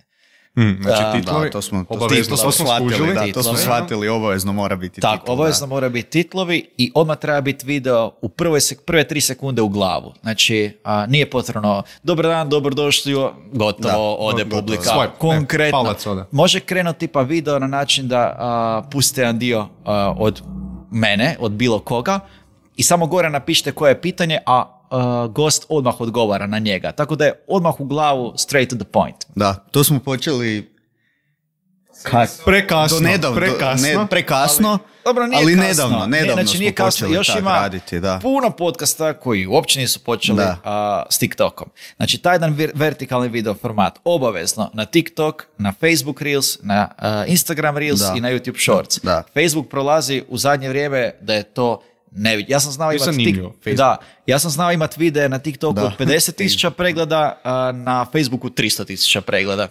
Mm, znači Da, titlovi, Da, to smo, to, obavezno, to to smo smo shvatili, skužili. da, to Titlovi. smo shvatili, obavezno mora biti Tako, titl, obavezno da. mora biti titlovi i odmah treba biti video u prvoj sek- prve tri sekunde u glavu. Znači, a, nije potrebno dobar dan, dobrodošli, gotovo, Da, ode gotovo. publika. Swipe, Konkretno. ne, palac ode. Može krenuti pa video na način da a, pustite jedan dio a, od mene, od bilo koga i samo gore napišite koje je pitanje, a a, gost odmah odgovara na njega. Tako da je odmah u glavu straight to the point. Da, to smo počeli Kad? Prekasno, Do nedavno, prekasno. Ne, prekasno, Dobro, nije ali kasno. nedavno, Ne, nedavno znači, nije smo kasno. počeli Još tak ima raditi, da. puno podcasta koji uopće nisu počeli Da. a, s TikTokom. Znači, taj jedan vir- vertikalni video format obavezno na TikTok, na Facebook Reels, na a, Instagram Reels Da. i na YouTube Shorts. Da. Facebook prolazi u zadnje vrijeme da je to nevidljivo. Ja sam znao Je imati zanimljivo, Facebook. da, ja sam znao imati videe na TikToku Da. od pedeset tisuća pregleda, a na Facebooku tristo tisuća pregleda.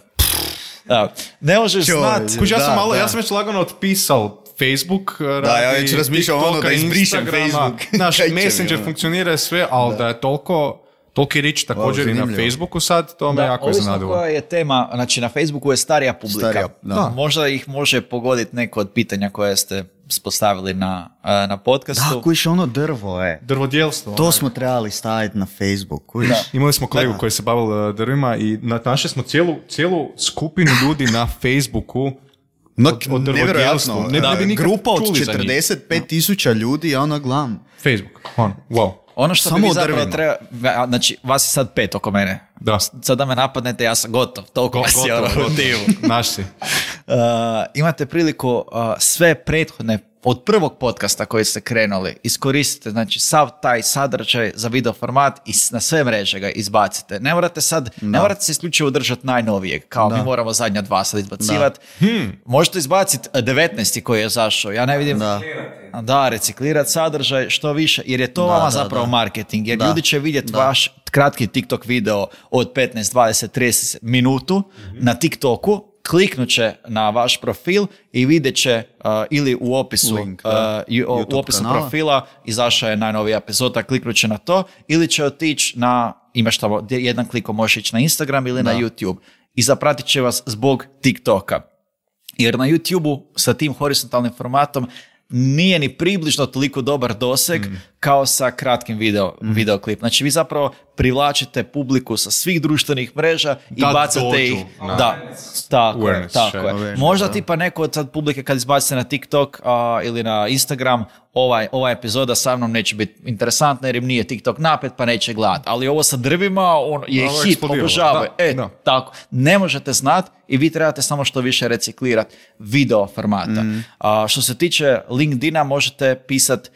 Da. Ne možeš Čovječe. znati. Kuž, ja sam Da, malo, da. ja sam već lagano otpisao Facebook, Da, ja već razmišljam ono da izbrišem Facebook. Naš Kaj će mi, Messenger ono? funkcionira i sve, ali da, je toliko, toliki rič također i na zanimljivo. Facebooku sad, to me Da, jako ovisno iznenadilo. koja je tema, znači na Facebooku je starija publika. Starija, da. Možda ih može pogoditi neko od pitanja koje ste postavili na, a, na podcastu. Da, kujiš ono drvo, e. Drvodjelstvo. To onaj. smo trebali staviti na Facebook, kujiš. Imali smo kolegu Da. koji se bavio uh, drvima i na- našli smo cijelu, cijelu skupinu ljudi na Facebooku No, od, od drvodjelstva. nevjerojatno. Ne, Da, ne bi nikad grupa od čuli za njih. četrdeset pet tisuća ljudi je ono glavno. Facebook, on, wow. Ono što Samo bi vi o zapravo drvima. treba, a, znači vas je sad pet oko mene. Da. Sad da me napadnete, ja sam gotov, toliko Go- vas je gotovo, ono u gotovo. timu. Naš si. Uh, imate priliku uh, sve prethodne od prvog podcasta koji ste krenuli iskoristite, znači sav taj sadržaj za video format i s- na sve mreže ga izbacite. Ne morate sad, ne morate se isključivo držati najnovijeg, kao mi moramo zadnja dva sad izbacivati. Možete izbaciti devetnaesti koji je zašao, ja ne vidim. Da. Da, reciklirati sadržaj što više, jer je to Da, vama da, zapravo da. marketing, jer Da. ljudi će vidjeti Da. vaš kratki TikTok video od petnaest, dvadeset, trideset minutu na TikToku, kliknut će na vaš profil i vidjet će uh, ili u opisu, Link, da. uh, i- o- u YouTube opisu kanala. profila izašao je najnovija epizoda, kliknut će na to, ili će otići na, imaš tamo, gdje jedan klikom možeš ići na Instagram ili na YouTube i zapratit će vas zbog TikToka. Jer na YouTube-u sa tim horizontalnim formatom nije ni približno toliko dobar doseg Mm. kao sa kratkim video, videoklip. Znači vi zapravo privlačite publiku sa svih društvenih mreža i Da bacate dođu ih. na- Da, tako je, Awareness, tako še- je. awareness, Možda da. tipa neko od sad publike kad izbacite na TikTok a, ili na Instagram, ovaj, ova epizoda sa mnom neće biti interesantna jer im nije TikTok napet pa neće gledat. Ali ovo sa drvima on je Ovo je hit, eksplodiralo, obožavaju. da, E, da. tako. Ne možete znati i vi trebate samo što više reciklirati video formata. A, što se tiče LinkedIna možete pisati,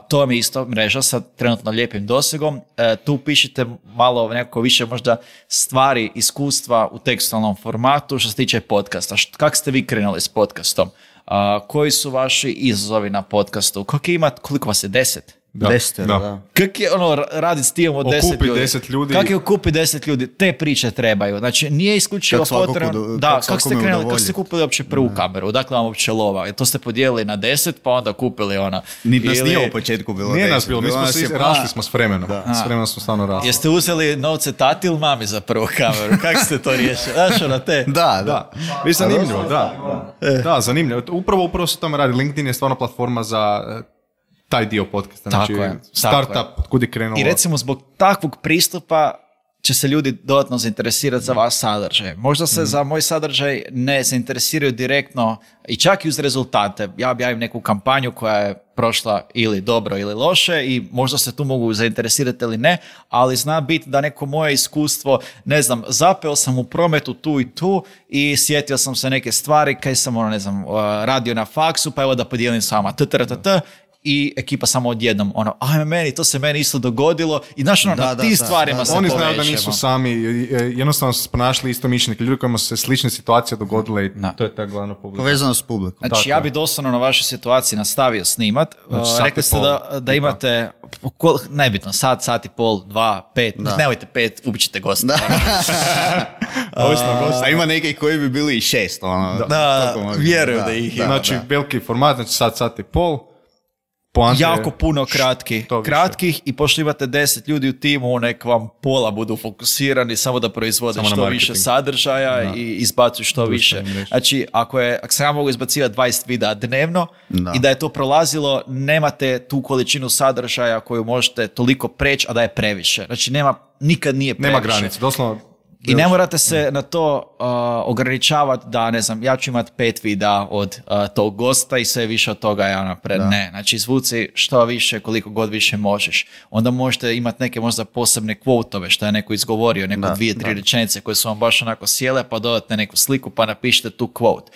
to vam je isto mreža sa trenutno lijepim dosegom. E, tu pišite malo neko više možda stvari, iskustva u tekstualnom formatu što se tiče podcasta. Št- Kako ste vi krenuli s podcastom? A, koji su vaši izazovi na podcastu? Koliko imate, koliko vas je, deset? Da, Desetero, da. da. Kako je ono raditi s timom od deset Okupi ljudi? deset ljudi. Kako je okupi deset ljudi? Te priče trebaju. Znači, nije isključivo Kako svakog potrebno... udo- Da, kako kako ste svakome krenuli, kako udovoljiti. ste kupili uopće prvu kameru? Dakle, vam uopće lova. To ste podijelili na deset, pa onda kupili ona... Niti nas Ili- nije u početku bilo Nije nas deset, bilo, mi smo nas se je iz- pa- rasli smo s vremenom. S vremenom smo stvarno rasli. Jeste uzeli novce tati ili mami za prvu kameru? Kako ste to riješili? Znaš, ono, te... Da, da. Da, vi zanimljivo, da. Da, zanimljivo. Upravo, upravo se tome radi. LinkedIn je stvarno platforma za eh, taj dio podcasta. Znači, Tako je, tako startup, kud je krenulo. I recimo zbog takvog pristupa će se ljudi dodatno zainteresirati za vaš sadržaj. Možda se za moj sadržaj ne zainteresiraju direktno i čak i uz rezultate. Ja objavim neku kampanju koja je prošla ili dobro ili loše i možda se tu mogu zainteresirati ili ne, ali zna biti da neko moje iskustvo, ne znam, zapeo sam u prometu tu i tu i sjetio sam se neke stvari kaj sam, ono, ne znam, uh, radio na faksu, pa evo da podijelim s vama. T, t, t, t, i ekipa samo odjednom, ono, ajme meni, to se meni isto dogodilo i znaš, ono, Da, na da, tim da, stvarima da, se Oni povežemo. znaju da nisu sami, eh, jednostavno su se ponašali isto mišljenike, ljudi kojima su se slične situacije dogodile i Da. to je ta glavna publika. Povezano s publikom. Znači, Tako ja je. bi doslovno na vašoj situaciji nastavio snimat. Znači, Uh, sat i rekli ste pol, da, da tipa. imate, kol- nebitno, sat, sat i pol, dva, pet, Da. nemojte pet, ubit ćete gosta. Da. Ovisno o gostu. A ima neki koji bi bili i šest, ono. Da, toliko može vjeruju biti. da ih ima. Znači, veliki format, znači sat, sat i pol. Poanta je- Jako puno kratkih, što više. kratkih i pošto imate deset ljudi u timu, nek vam pola budu fokusirani samo da proizvode Samo na što marketing. više sadržaja i izbacuju što više. mreže. Znači, ako, je, ako sam ja mogu izbacivati dvadeset videa dnevno Da. i da je to prolazilo, nemate tu količinu sadržaja koju možete toliko preći, a da je previše. Znači, nema, nikad nije previše. Nema granice, doslovno. I ne morate se na to uh, ograničavati da, ne znam, ja ću imati pet videa od uh, tog gosta i sve više od toga ja napred. Ne, znači izvuci što više, koliko god više možeš. Onda možete imati neke možda posebne kvotove što je neko izgovorio, neko Da, dvije, tri rečenice koje su vam baš onako sjele, pa dodate neku sliku pa napišite tu kvot.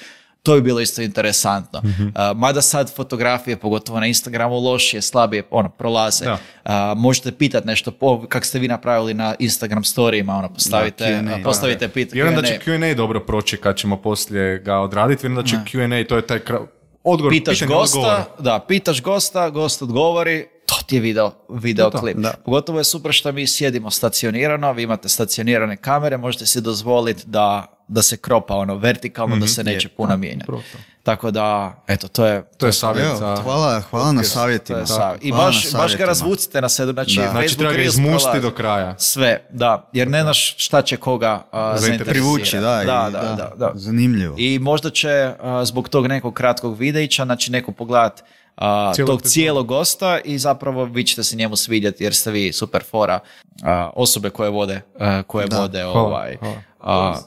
To bi bilo isto interesantno. Mhm. Uh, mada sad fotografije, pogotovo na Instagramu, lošije, slabije, ono, prolaze. Da. Uh, možete pitati nešto, po, kak ste vi napravili na Instagram storijima, ono, postavite, Da, Q and A, uh, postavite da. pitanje. Vjerujem da će Q and A dobro proći kad ćemo poslije ga odraditi. Vjerujem da će Q and A, to je taj kra... odgovor, Pitaš pitanje, gosta, odgovor. da, pitaš gosta, gost odgovori, to ti je video, video To, to, klip. da. Pogotovo je super što mi sjedimo stacionirano, vi imate stacionirane kamere, možete si dozvoliti da, da se kropa ono vertikalno, da se neće puno mijenjati. upravo to. Tako da, eto, to je... To je savjet Evo, za... hvala, hvala na To savjetima. je savjet. I Hvala baš, na baš ga savjetima. razvucite na sedu, znači, Da. Facebook Znači treba ga Reels izmusti prolazi. do kraja. Sve, da, jer ne znaš šta će koga uh, zainteresirati. Privući, da, i- da, da, da, da. Zanimljivo. I možda će uh, zbog tog nekog kratkog videića, znači neko pogledat uh, Cijelu tog epizodu. cijelog gosta i zapravo vi ćete se njemu svidjeti jer ste vi super fora uh, osobe koje vode, uh, koje Da. vode Hvala, ovaj... hvala. uh,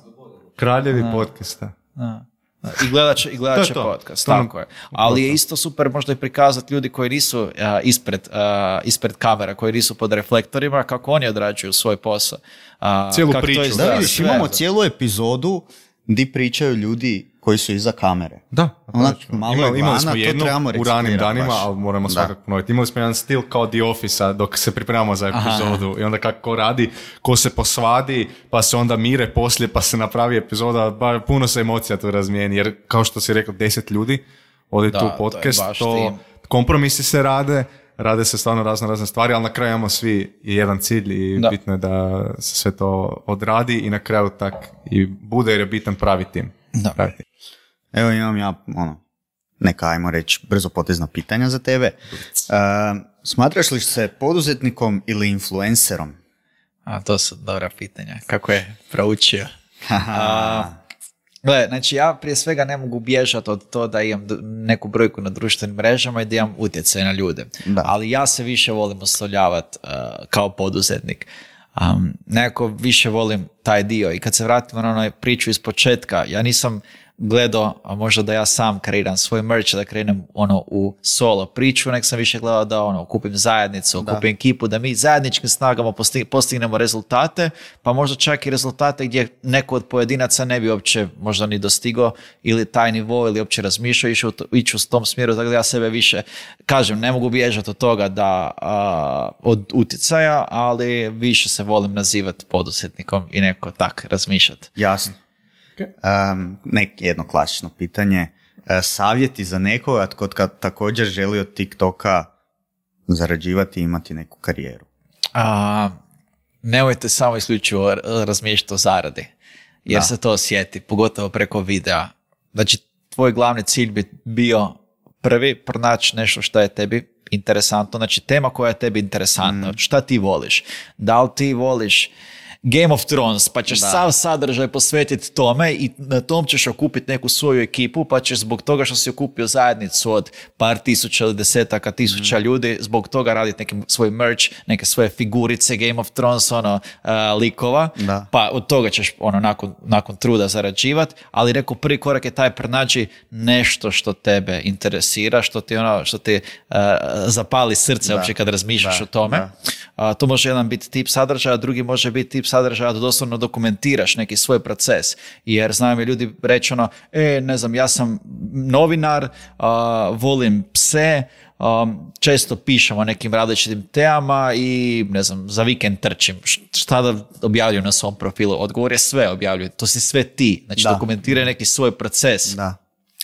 Kraljevi podcasta. da. I gledat će, i gledat To je će to. podcast, To nam- tako je. Ali je isto super možda i prikazati ljudi koji nisu uh, ispred, uh, ispred kamera, koji nisu pod reflektorima, kako oni odrađuju svoj posao. Uh, Cijelu kako to priču. izgleda, Da, vidiš, sve. imamo cijelu epizodu di pričaju ljudi koji su iza kamere. Da, Onak, točno. malo imali, je imali vana, smo to jednu trebamo u ranim reciklirati danima, baš. ali moramo Da. svakako ponoviti. Imali smo jedan stil kao The Office-a dok se pripremamo za epizodu i onda kako radi, ko se posvadi, pa se onda mire poslije, pa se napravi epizoda, ba, puno se emocija tu razmijeni, jer kao što si rekao, deset ljudi ode Da, tu to je podcast, baš to, tim. kompromisi se rade, rade se stvarno razne razne stvari, ali na kraju imamo svi jedan cilj i Da. bitno je da se sve to odradi i na kraju tak i bude jer je bitan pravi tim. Da. Pravi tim. Evo imam ja, ono, neka, ajmo reći, brzo potezna pitanja za tebe. E, smatraš li se poduzetnikom ili influencerom? A, to su dobra pitanja. Kako je proučio? A, gle, znači ja prije svega ne mogu bježati od to da imam d- neku brojku na društvenim mrežama i da imam utjecaj na ljude. Da. Ali ja se više volim oslovljavati uh, kao poduzetnik. Um, nekako više volim taj dio i kad se vratimo na onoj priču iz početka, ja nisam gledao, a možda da ja sam kreiram svoj merch, da krenem ono u solo priču, nek sam više gledao da ono, kupim zajednicu, Da. kupim ekipu, da mi zajedničkim snagama posti- postignemo rezultate, pa možda čak i rezultate gdje neko od pojedinaca ne bi uopće možda ni dostigao ili taj nivo ili uopće razmišljao ići u, to- ići u tom smjeru, tako da ja sebe više, kažem, ne mogu bježati od toga da a, od utjecaja, ali više se volim nazivati poduzetnikom i neko tak razmišljati. Jasno. Um, nek, jedno klasično pitanje. E, savjeti za nekoga tko kad također želi od TikToka zarađivati i imati neku karijeru. A, nemojte samo isključivo r- razmišljati o zaradi, jer Da. se to osjeti, pogotovo preko videa. Znači, tvoj glavni cilj bi bio prvi pronaći nešto što je tebi interesantno, znači tema koja je tebi interesantna, Mm. šta ti voliš. Da li ti voliš Game of Thrones, pa ćeš Da. sav sadržaj posvetiti tome i na tom ćeš okupiti neku svoju ekipu, pa ćeš zbog toga što si okupio zajednicu od par tisuća ili desetaka tisuća Mm. ljudi, zbog toga raditi neki svoj merch, neke svoje figurice Game of Thrones, ono, uh, likova, Da. pa od toga ćeš ono, nakon, nakon truda zarađivati, ali rekao prvi korak je taj pronaći nešto što tebe interesira, što ti, ono, što ti uh, zapali srce Da. uopće kad razmišljaš Da, o tome. da. A, to može jedan biti tip sadržaja, drugi može biti tip sadržaja da doslovno dokumentiraš neki svoj proces. Jer znaju mi ljudi reći ono, e, ne znam, ja sam novinar, a, volim pse, a, često pišem o nekim različitim temama i ne znam, za vikend trčim. Š- Šta da objavljujem na svom profilu? Odgovor je sve objavljuju. To si sve ti. Znači, Da. dokumentiraj neki svoj proces Da.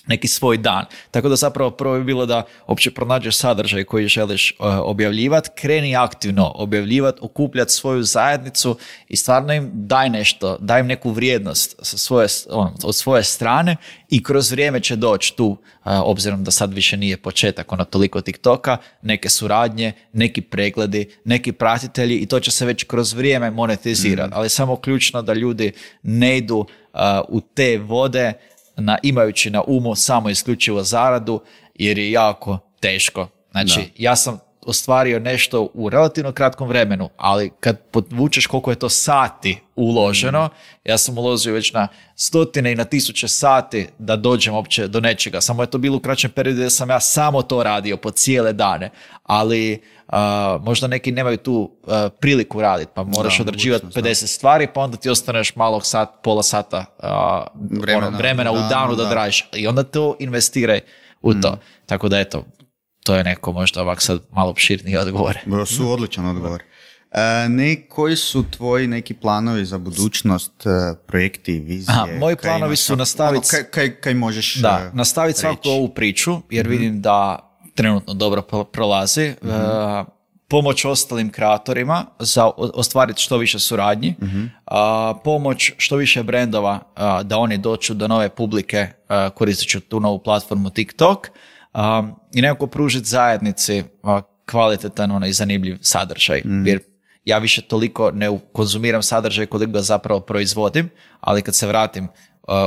neki svoj dan. Tako da zapravo prvo bi bilo da uopće pronađeš sadržaj koji želiš uh, objavljivati, kreni aktivno objavljivati, okupljati svoju zajednicu i stvarno im daj nešto, daj im neku vrijednost sa svoje, on, od svoje strane i kroz vrijeme će doći tu, uh, obzirom da sad više nije početak ono toliko TikToka, neke suradnje, neki pregledi, neki pratitelji i to će se već kroz vrijeme monetizirati. Ali samo ključno da ljudi ne idu uh, u te vode na, imajući na umu samo isključivo zaradu, jer je jako teško. Znači, Da. ja sam ostvario nešto u relativno kratkom vremenu, ali kad podvučeš koliko je to sati uloženo, mm. ja sam uložio već na stotine i na tisuće sati da dođem uopće do nečega. Samo je to bilo u kraćem periodu da sam ja samo to radio po cijele dane, ali uh, možda neki nemaju tu uh, priliku raditi, pa moraš da, odrađivati pedeset stvari, pa onda ti ostaneš malog sat, pola sata uh, vremena, ono, vremena u danu, danu da, da dražiš. I onda to investiraj u to. Mm. Tako da eto, to je neko možda ovak sad malo opširniji odgovor. Bo su odličan odgovor. E, ne, koji su tvoji neki planovi za budućnost, projekti, vizije? Aha, moji planovi su nastaviti... Ono, kaj, kaj, kaj možeš Da, nastaviti svaku ovu priču, jer mm-hmm. vidim da trenutno dobro prolazi. Mm-hmm. E, pomoć ostalim kreatorima za ostvariti što više suradnji. Mm-hmm. A, pomoć što više brendova a, da oni dođu do nove publike a, koristeći tu novu platformu TikTok. Um, i nekako pružiti zajednici uh, kvalitetan onaj zanimljiv sadržaj. Mm. Jer ja više toliko ne konzumiram sadržaj koliko ga zapravo proizvodim, ali kad se vratim uh,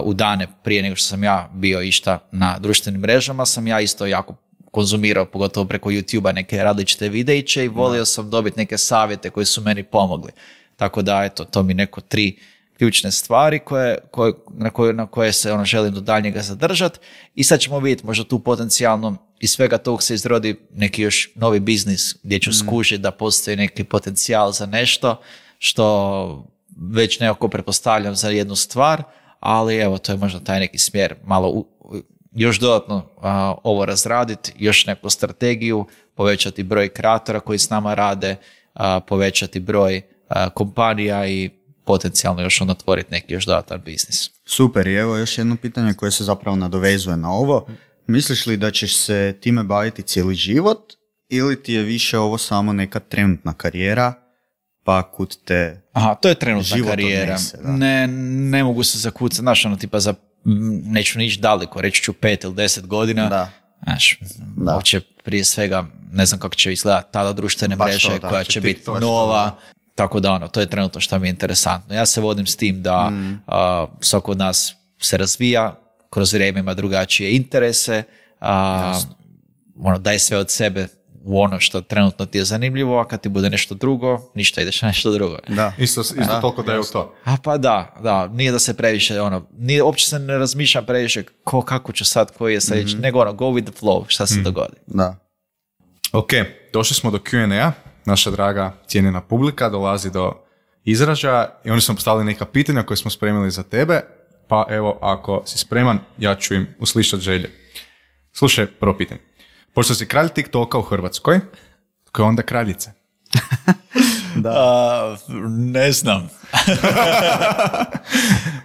u dane prije nego što sam ja bio išta na društvenim mrežama, sam ja isto jako konzumirao, pogotovo preko YouTube-a neke različite videiće i volio sam dobiti neke savjete koji su meni pomogli. Tako da, eto, to mi neko tri ključne stvari koje, koje, na, koje, na koje se ono želim do daljnjega zadržati i sad ćemo vidjeti možda tu potencijalno iz svega tog se izrodi neki još novi biznis gdje ću mm. skužiti da postoji neki potencijal za nešto što već nekako pretpostavljam za jednu stvar, ali evo to je možda taj neki smjer malo u, još dodatno a, ovo razraditi, još neku strategiju, povećati broj kreatora koji s nama rade, a, povećati broj a, kompanija i potencijalno još onda otvoriti neki još dodatan biznis. Super, i evo još jedno pitanje koje se zapravo nadovezuje na ovo. Misliš li da ćeš se time baviti cijeli život ili ti je više ovo samo neka trenutna karijera pa kud te Aha, to je trenutna karijera. Odnese, ne, ne mogu se zakucati, znaš, ono tipa za, neću nići daleko, reći ću pet ili deset godina. Da. Znaš, da. Uopće prije svega, ne znam kako će izgledati tada društvene Baš mreže to, koja će će biti biti nova. Da. Tako da ono, to je trenutno što mi je interesantno. Ja se vodim s tim da mm. uh, svako od nas se razvija, kroz vrijeme ima drugačije interese, uh, ono, daj sve od sebe u ono što trenutno ti je zanimljivo, a kad ti bude nešto drugo, ništa, ideš na nešto drugo. Da. Isto, isto da. Toliko da je u to. A pa da, da, nije da se previše, ono, nije, uopće se ne razmišljam previše ko, kako ću sad, koji je sljedeći, mm-hmm. nego ono, go with the flow, šta se mm. dogodi. Da. Ok, došli smo do Q and A. Naša draga cijenjena publika dolazi do izražaja i oni su postavili neka pitanja koje smo spremili za tebe, pa evo, ako si spreman, ja ću im uslišati želje. Slušaj, prvo pitanje. Pošto si kralj TikToka u Hrvatskoj, tko je onda kraljica? Da. Uh, ne znam.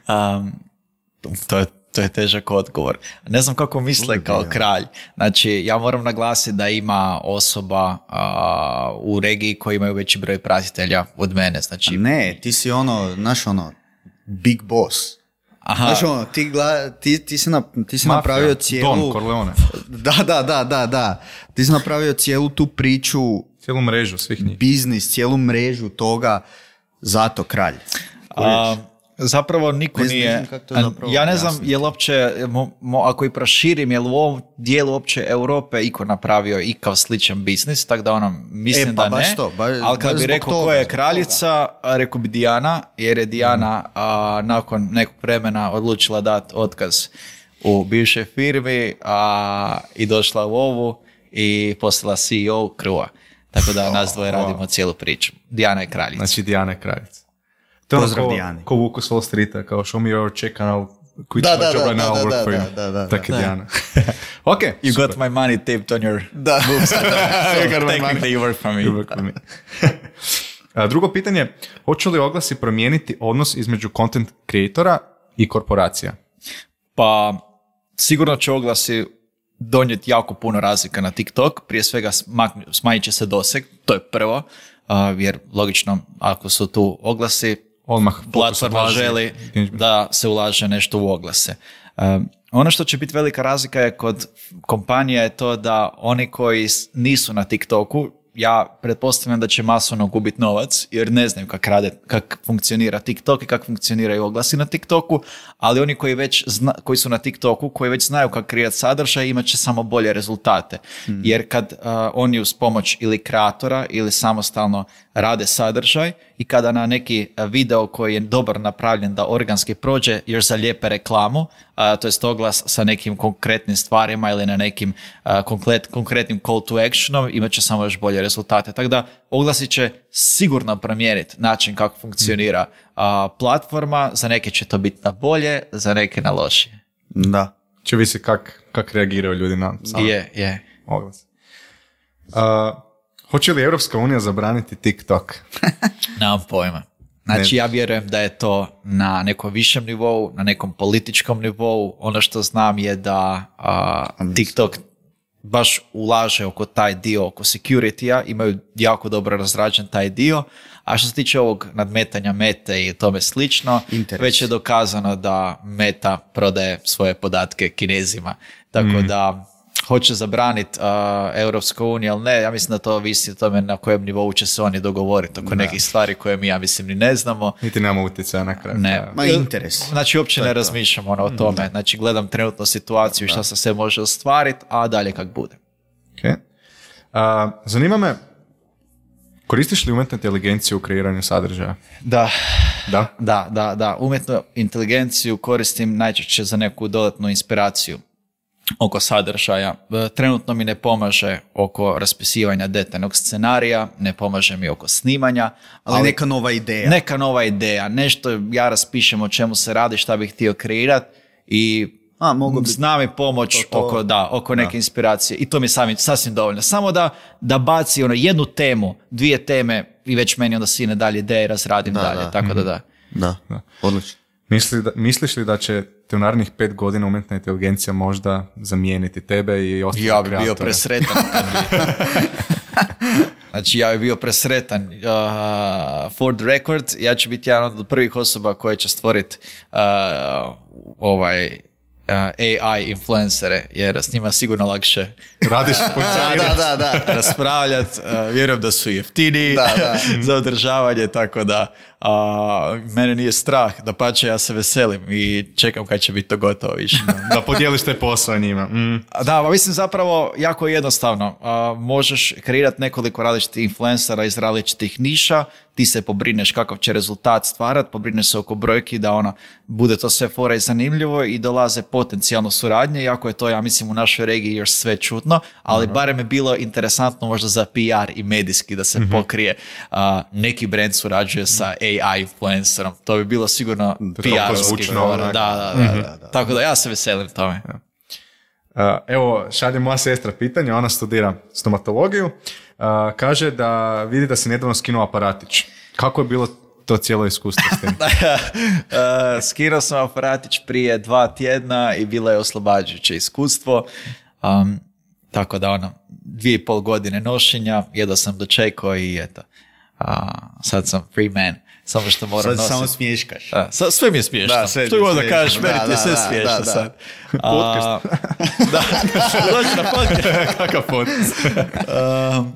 um, to je To je težak odgovor. Ne znam kako misle kao kralj. Znači, ja moram naglasiti da ima osoba a, u regiji koji imaju veći broj pratitelja od mene. Znači, ne, ti si ono, znaš ono, big boss. Aha. Znaš ono, ti, gla, ti, ti si, na, ti si Mafia, napravio cijelu... Don Corleone. Da, da, da, da, da. Ti si napravio cijelu tu priču... Cijelu mrežu svih njih. Biznis, cijelu mrežu toga, zato kralj. A, zapravo niko ne nije... Zapravo, ja ne znam, jasno. Je li uopće, mo, mo, ako i proširim, je li u ovom dijelu uopće Europe iko napravio ikav sličan biznis, tako da ono, mislim e, pa, da ne. To, ba, ali kad bi rekao ko je kraljica, rekao bi Dijana, jer je Dijana mm. a, nakon nekog vremena odlučila dati otkaz u bivšoj firmi a, i došla u ovu i postala C E O Krua. Tako da nas dvoje radimo cijelu priču. Dijana je kraljica. Znači Dijana je kraljica. To pozdrav Dijani. Ko Vuku s Wall Streeta, kao show me your check and I'll quit da, my da, job da, right now, I'll work da, for you. Da, da, Tako je Dijana. Ok, you super. got my money taped on your da. books. So technically you work for me. You work for me. A, drugo pitanje, hoće li oglasi promijeniti odnos između content creatora i korporacija? Pa, sigurno će oglasi donijeti jako puno razlika na TikTok. Prije svega smanjit će se doseg, to je prvo, uh, jer logično ako su tu oglasi, odmah platforma želi da se ulaže nešto u oglase. Um, ono što će biti velika razlika je kod kompanija je to da oni koji nisu na TikToku ja pretpostavljam da će masovno gubiti novac, jer ne znaju kako rade, kako funkcionira TikTok i kako funkcioniraju oglasi na TikToku, ali oni koji već zna, koji su na TikToku, koji već znaju kako kreirati sadržaj, imat će samo bolje rezultate. Hmm. Jer kad uh, oni uz pomoć ili kreatora ili samostalno rade sadržaj i kada na neki video koji je dobar napravljen da organski prođe još zalijepe reklamu, uh, to jest oglas sa nekim konkretnim stvarima ili na nekim uh, konkret, konkretnim call to actionom, imat će samo još bolje rezultate. Tako da oglasi će sigurno promijeniti način kako funkcionira uh, platforma, za neke će to biti na bolje, za neke na lošije. Da. Će visi kak, kak reagiraju ljudi na sam je, je. oglas. Uh, hoće li Europska unija zabraniti TikTok? Nemam pojma. Znači, ja vjerujem da je to na nekom višem nivou, na nekom političkom nivou. Ono što znam je da uh, TikTok baš ulaže oko taj dio, oko security-a, imaju jako dobro razrađen taj dio, a što se tiče ovog nadmetanja Mete i tome slično, Interes. Već je dokazano da Meta prodaje svoje podatke Kinezima, tako mm. da hoće zabraniti uh, Europska unija, ali ne, ja mislim da to ovisi o tome na kojem nivou će se oni dogovoriti oko da. nekih stvari koje mi, ja mislim, ni ne znamo. Niti nemamo utjecaja na kraju. Ne. Ma interes. Znači, uopće ne razmišljamo ono, o tome. Da. Znači, gledam trenutno situaciju, šta se sve može ostvariti, a dalje kak bude. Okay. Uh, zanima me, koristiš li umjetnu inteligenciju u kreiranju sadržaja? Da. Da? Da, da, da. Umjetnu inteligenciju koristim najčešće za neku dodatnu inspiraciju oko sadržaja. Trenutno mi ne pomaže oko raspisivanja detaljnog scenarija, ne pomaže mi oko snimanja. Ali, ali neka nova ideja. Neka nova ideja. Nešto ja raspišem o čemu se radi, šta bih htio kreirati i A, mogu bi... zna mi pomoć to, to... oko, da, oko neke da. inspiracije. I to mi je sami, sasvim dovoljno. Samo da, da baci ono jednu temu, dvije teme i već meni onda sine dalje ideje i razradim da, dalje. Da. Tako da da. Da, da. Odlično. Misli da, misliš li da će te u narednih pet godina umjetna inteligencija možda zamijeniti tebe i ostale ja bi kreatore? Bio presretan kad bi... Znači, ja bi bio presretan. Uh, for the record, ja ću biti jedan od prvih osoba koje će stvoriti uh, ovaj... Uh, A I influencere, jer s njima sigurno lakše radiš da, da, da. raspravljati. Uh, vjerujem da su jeftiniji da, da. za održavanje, tako da uh, mene nije strah, da pače ja se veselim i čekam kad će biti to gotovo više. Da podijeliš te posao njima. Mm. Da, pa mislim zapravo jako jednostavno. Uh, možeš kreirati nekoliko različitih influencera iz različitih niša, ti se pobrineš kakav će rezultat stvarati, pobrineš se oko brojki da ono, bude to sve fora i zanimljivo i dolaze potencijalno suradnje, iako je to, ja mislim, u našoj regiji još sve čudno, ali uh-huh. barem je bilo interesantno možda za P R i medijski da se uh-huh. pokrije uh, neki brand surađuje sa A I influencerom. To bi bilo sigurno P R-ovski. Da, da, da, uh-huh. da, da. Tako da ja se veselim tome. Uh, evo, šalje moja sestra pitanje, ona studira stomatologiju. Uh, kaže da vidi da si nedavno skinuo aparatić. Kako je bilo to cijelo iskustvo s tim? uh, skinuo sam aparatić prije dva tjedna i bilo je oslobađajuće iskustvo. Um, tako da ono, dvije i pol godine nošenja, jedno sam dočekao i eto. Uh, sad sam free man. Samo što moram sad nositi. Samo smiješkaš. Da, sve mi je smiješno. Da, sve što god da kažeš, meni ti je sve smiješno da, da. sad. Podcast. Da, dođi na podcast. Kakav podcast? um,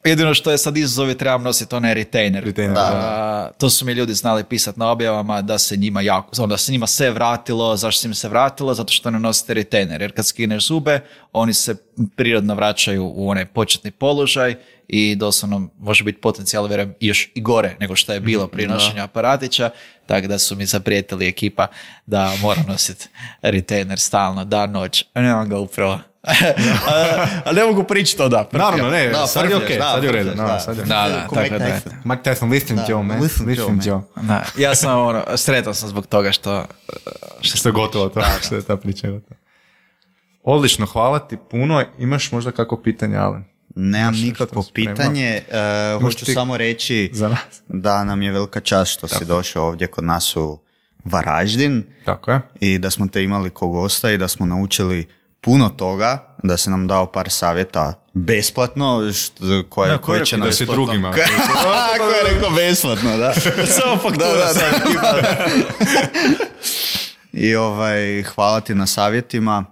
jedino što je sad izazov je trebam nositi onaj retainer. retainer da. Uh, to su mi ljudi znali pisati na objavama da se njima jako, da se njima sve vratilo. Zašto se im se vratilo? Zato što ne nosite retainer. Jer kad skineš zube, oni se prirodno vraćaju u onaj početni položaj i doslovno može biti potencijal, vjerujem, još i gore nego što je bilo prije nošenja aparatića, tako da su mi zaprijetili ekipa da moram nositi retainer stalno, dan, noć. Nemam ga upravo. Ali ne mogu pričati to da. Naravno, ne, da, sad je okej, sad je u redu. Da, da, tako da. Mike Tyson, listen Joe, man. Listen Joe. Ja sam, ono, sretan sam zbog toga što... Što je gotovo to, što je ta priča gotova. Odlično, hvala ti puno. Imaš možda kako pitanje, Alen? Nemam nikakvo pitanje, uh, hoću ti... samo reći da nam je velika čast što Tako. si došao ovdje kod nas u Varaždin. Tako je. I da smo te imali ko gosta i da smo naučili puno toga, da si nam dao par savjeta besplatno, što, koje, ja, koje će nam... Da si drugima. Kako je rekao besplatno, da. Samo faktura. Da, da, da. I ovaj, hvala ti na savjetima.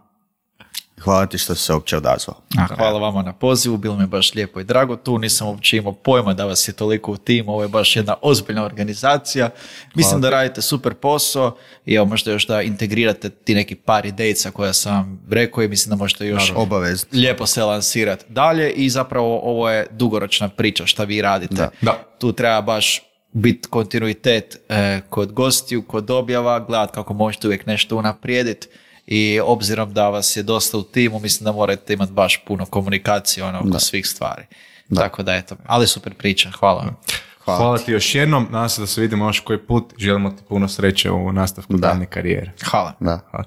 Hvala ti što si se uopće odazvao. A, hvala vama na pozivu, bilo mi je baš lijepo i drago tu, nisam uopće imao pojma da vas je toliko u timu, ovo je baš jedna ozbiljna organizacija. Mislim da radite super posao i evo možda još da integrirate ti neki par idejica koja sam rekao i mislim da možete još obavezno lijepo se lansirati dalje i zapravo ovo je dugoročna priča šta vi radite. Da. Da. Tu treba baš biti kontinuitet eh, kod gostiju, kod objava, gledati kako možete uvijek nešto unaprijediti. I obzirom da vas je dosta u timu, mislim da morate imati baš puno komunikacije ono, oko da. svih stvari. Da. Tako da eto, ali super priča, hvala. Hvala, Hvala ti još jednom, nadam se da se vidimo još koji put, želimo ti puno sreće u nastavku Da. daljnje karijere. Hvala. Da. Hvala.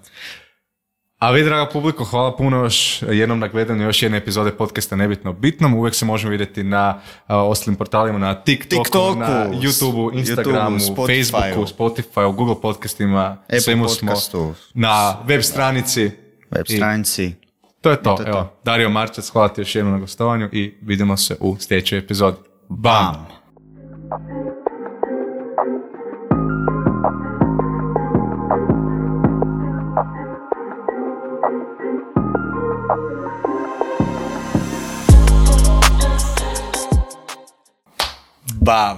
A vi, draga publiko, hvala puno još jednom na gledanju još jedne epizode podcasta Nebitno o bitnom. Uvijek se možemo vidjeti na uh, ostalim portalima, na TikToku, TikToku, na YouTubeu, Instagramu, YouTubeu, Spotifyu. Facebooku, Spotify, Google podcastima, Apple svemu podcastu. smo na web stranici. Web I stranici. to je to. to je Evo, to. Dario Marčac, hvala ti još jednom na gostovanju i vidimo se u sljedećoj epizodi. Bam! Bam.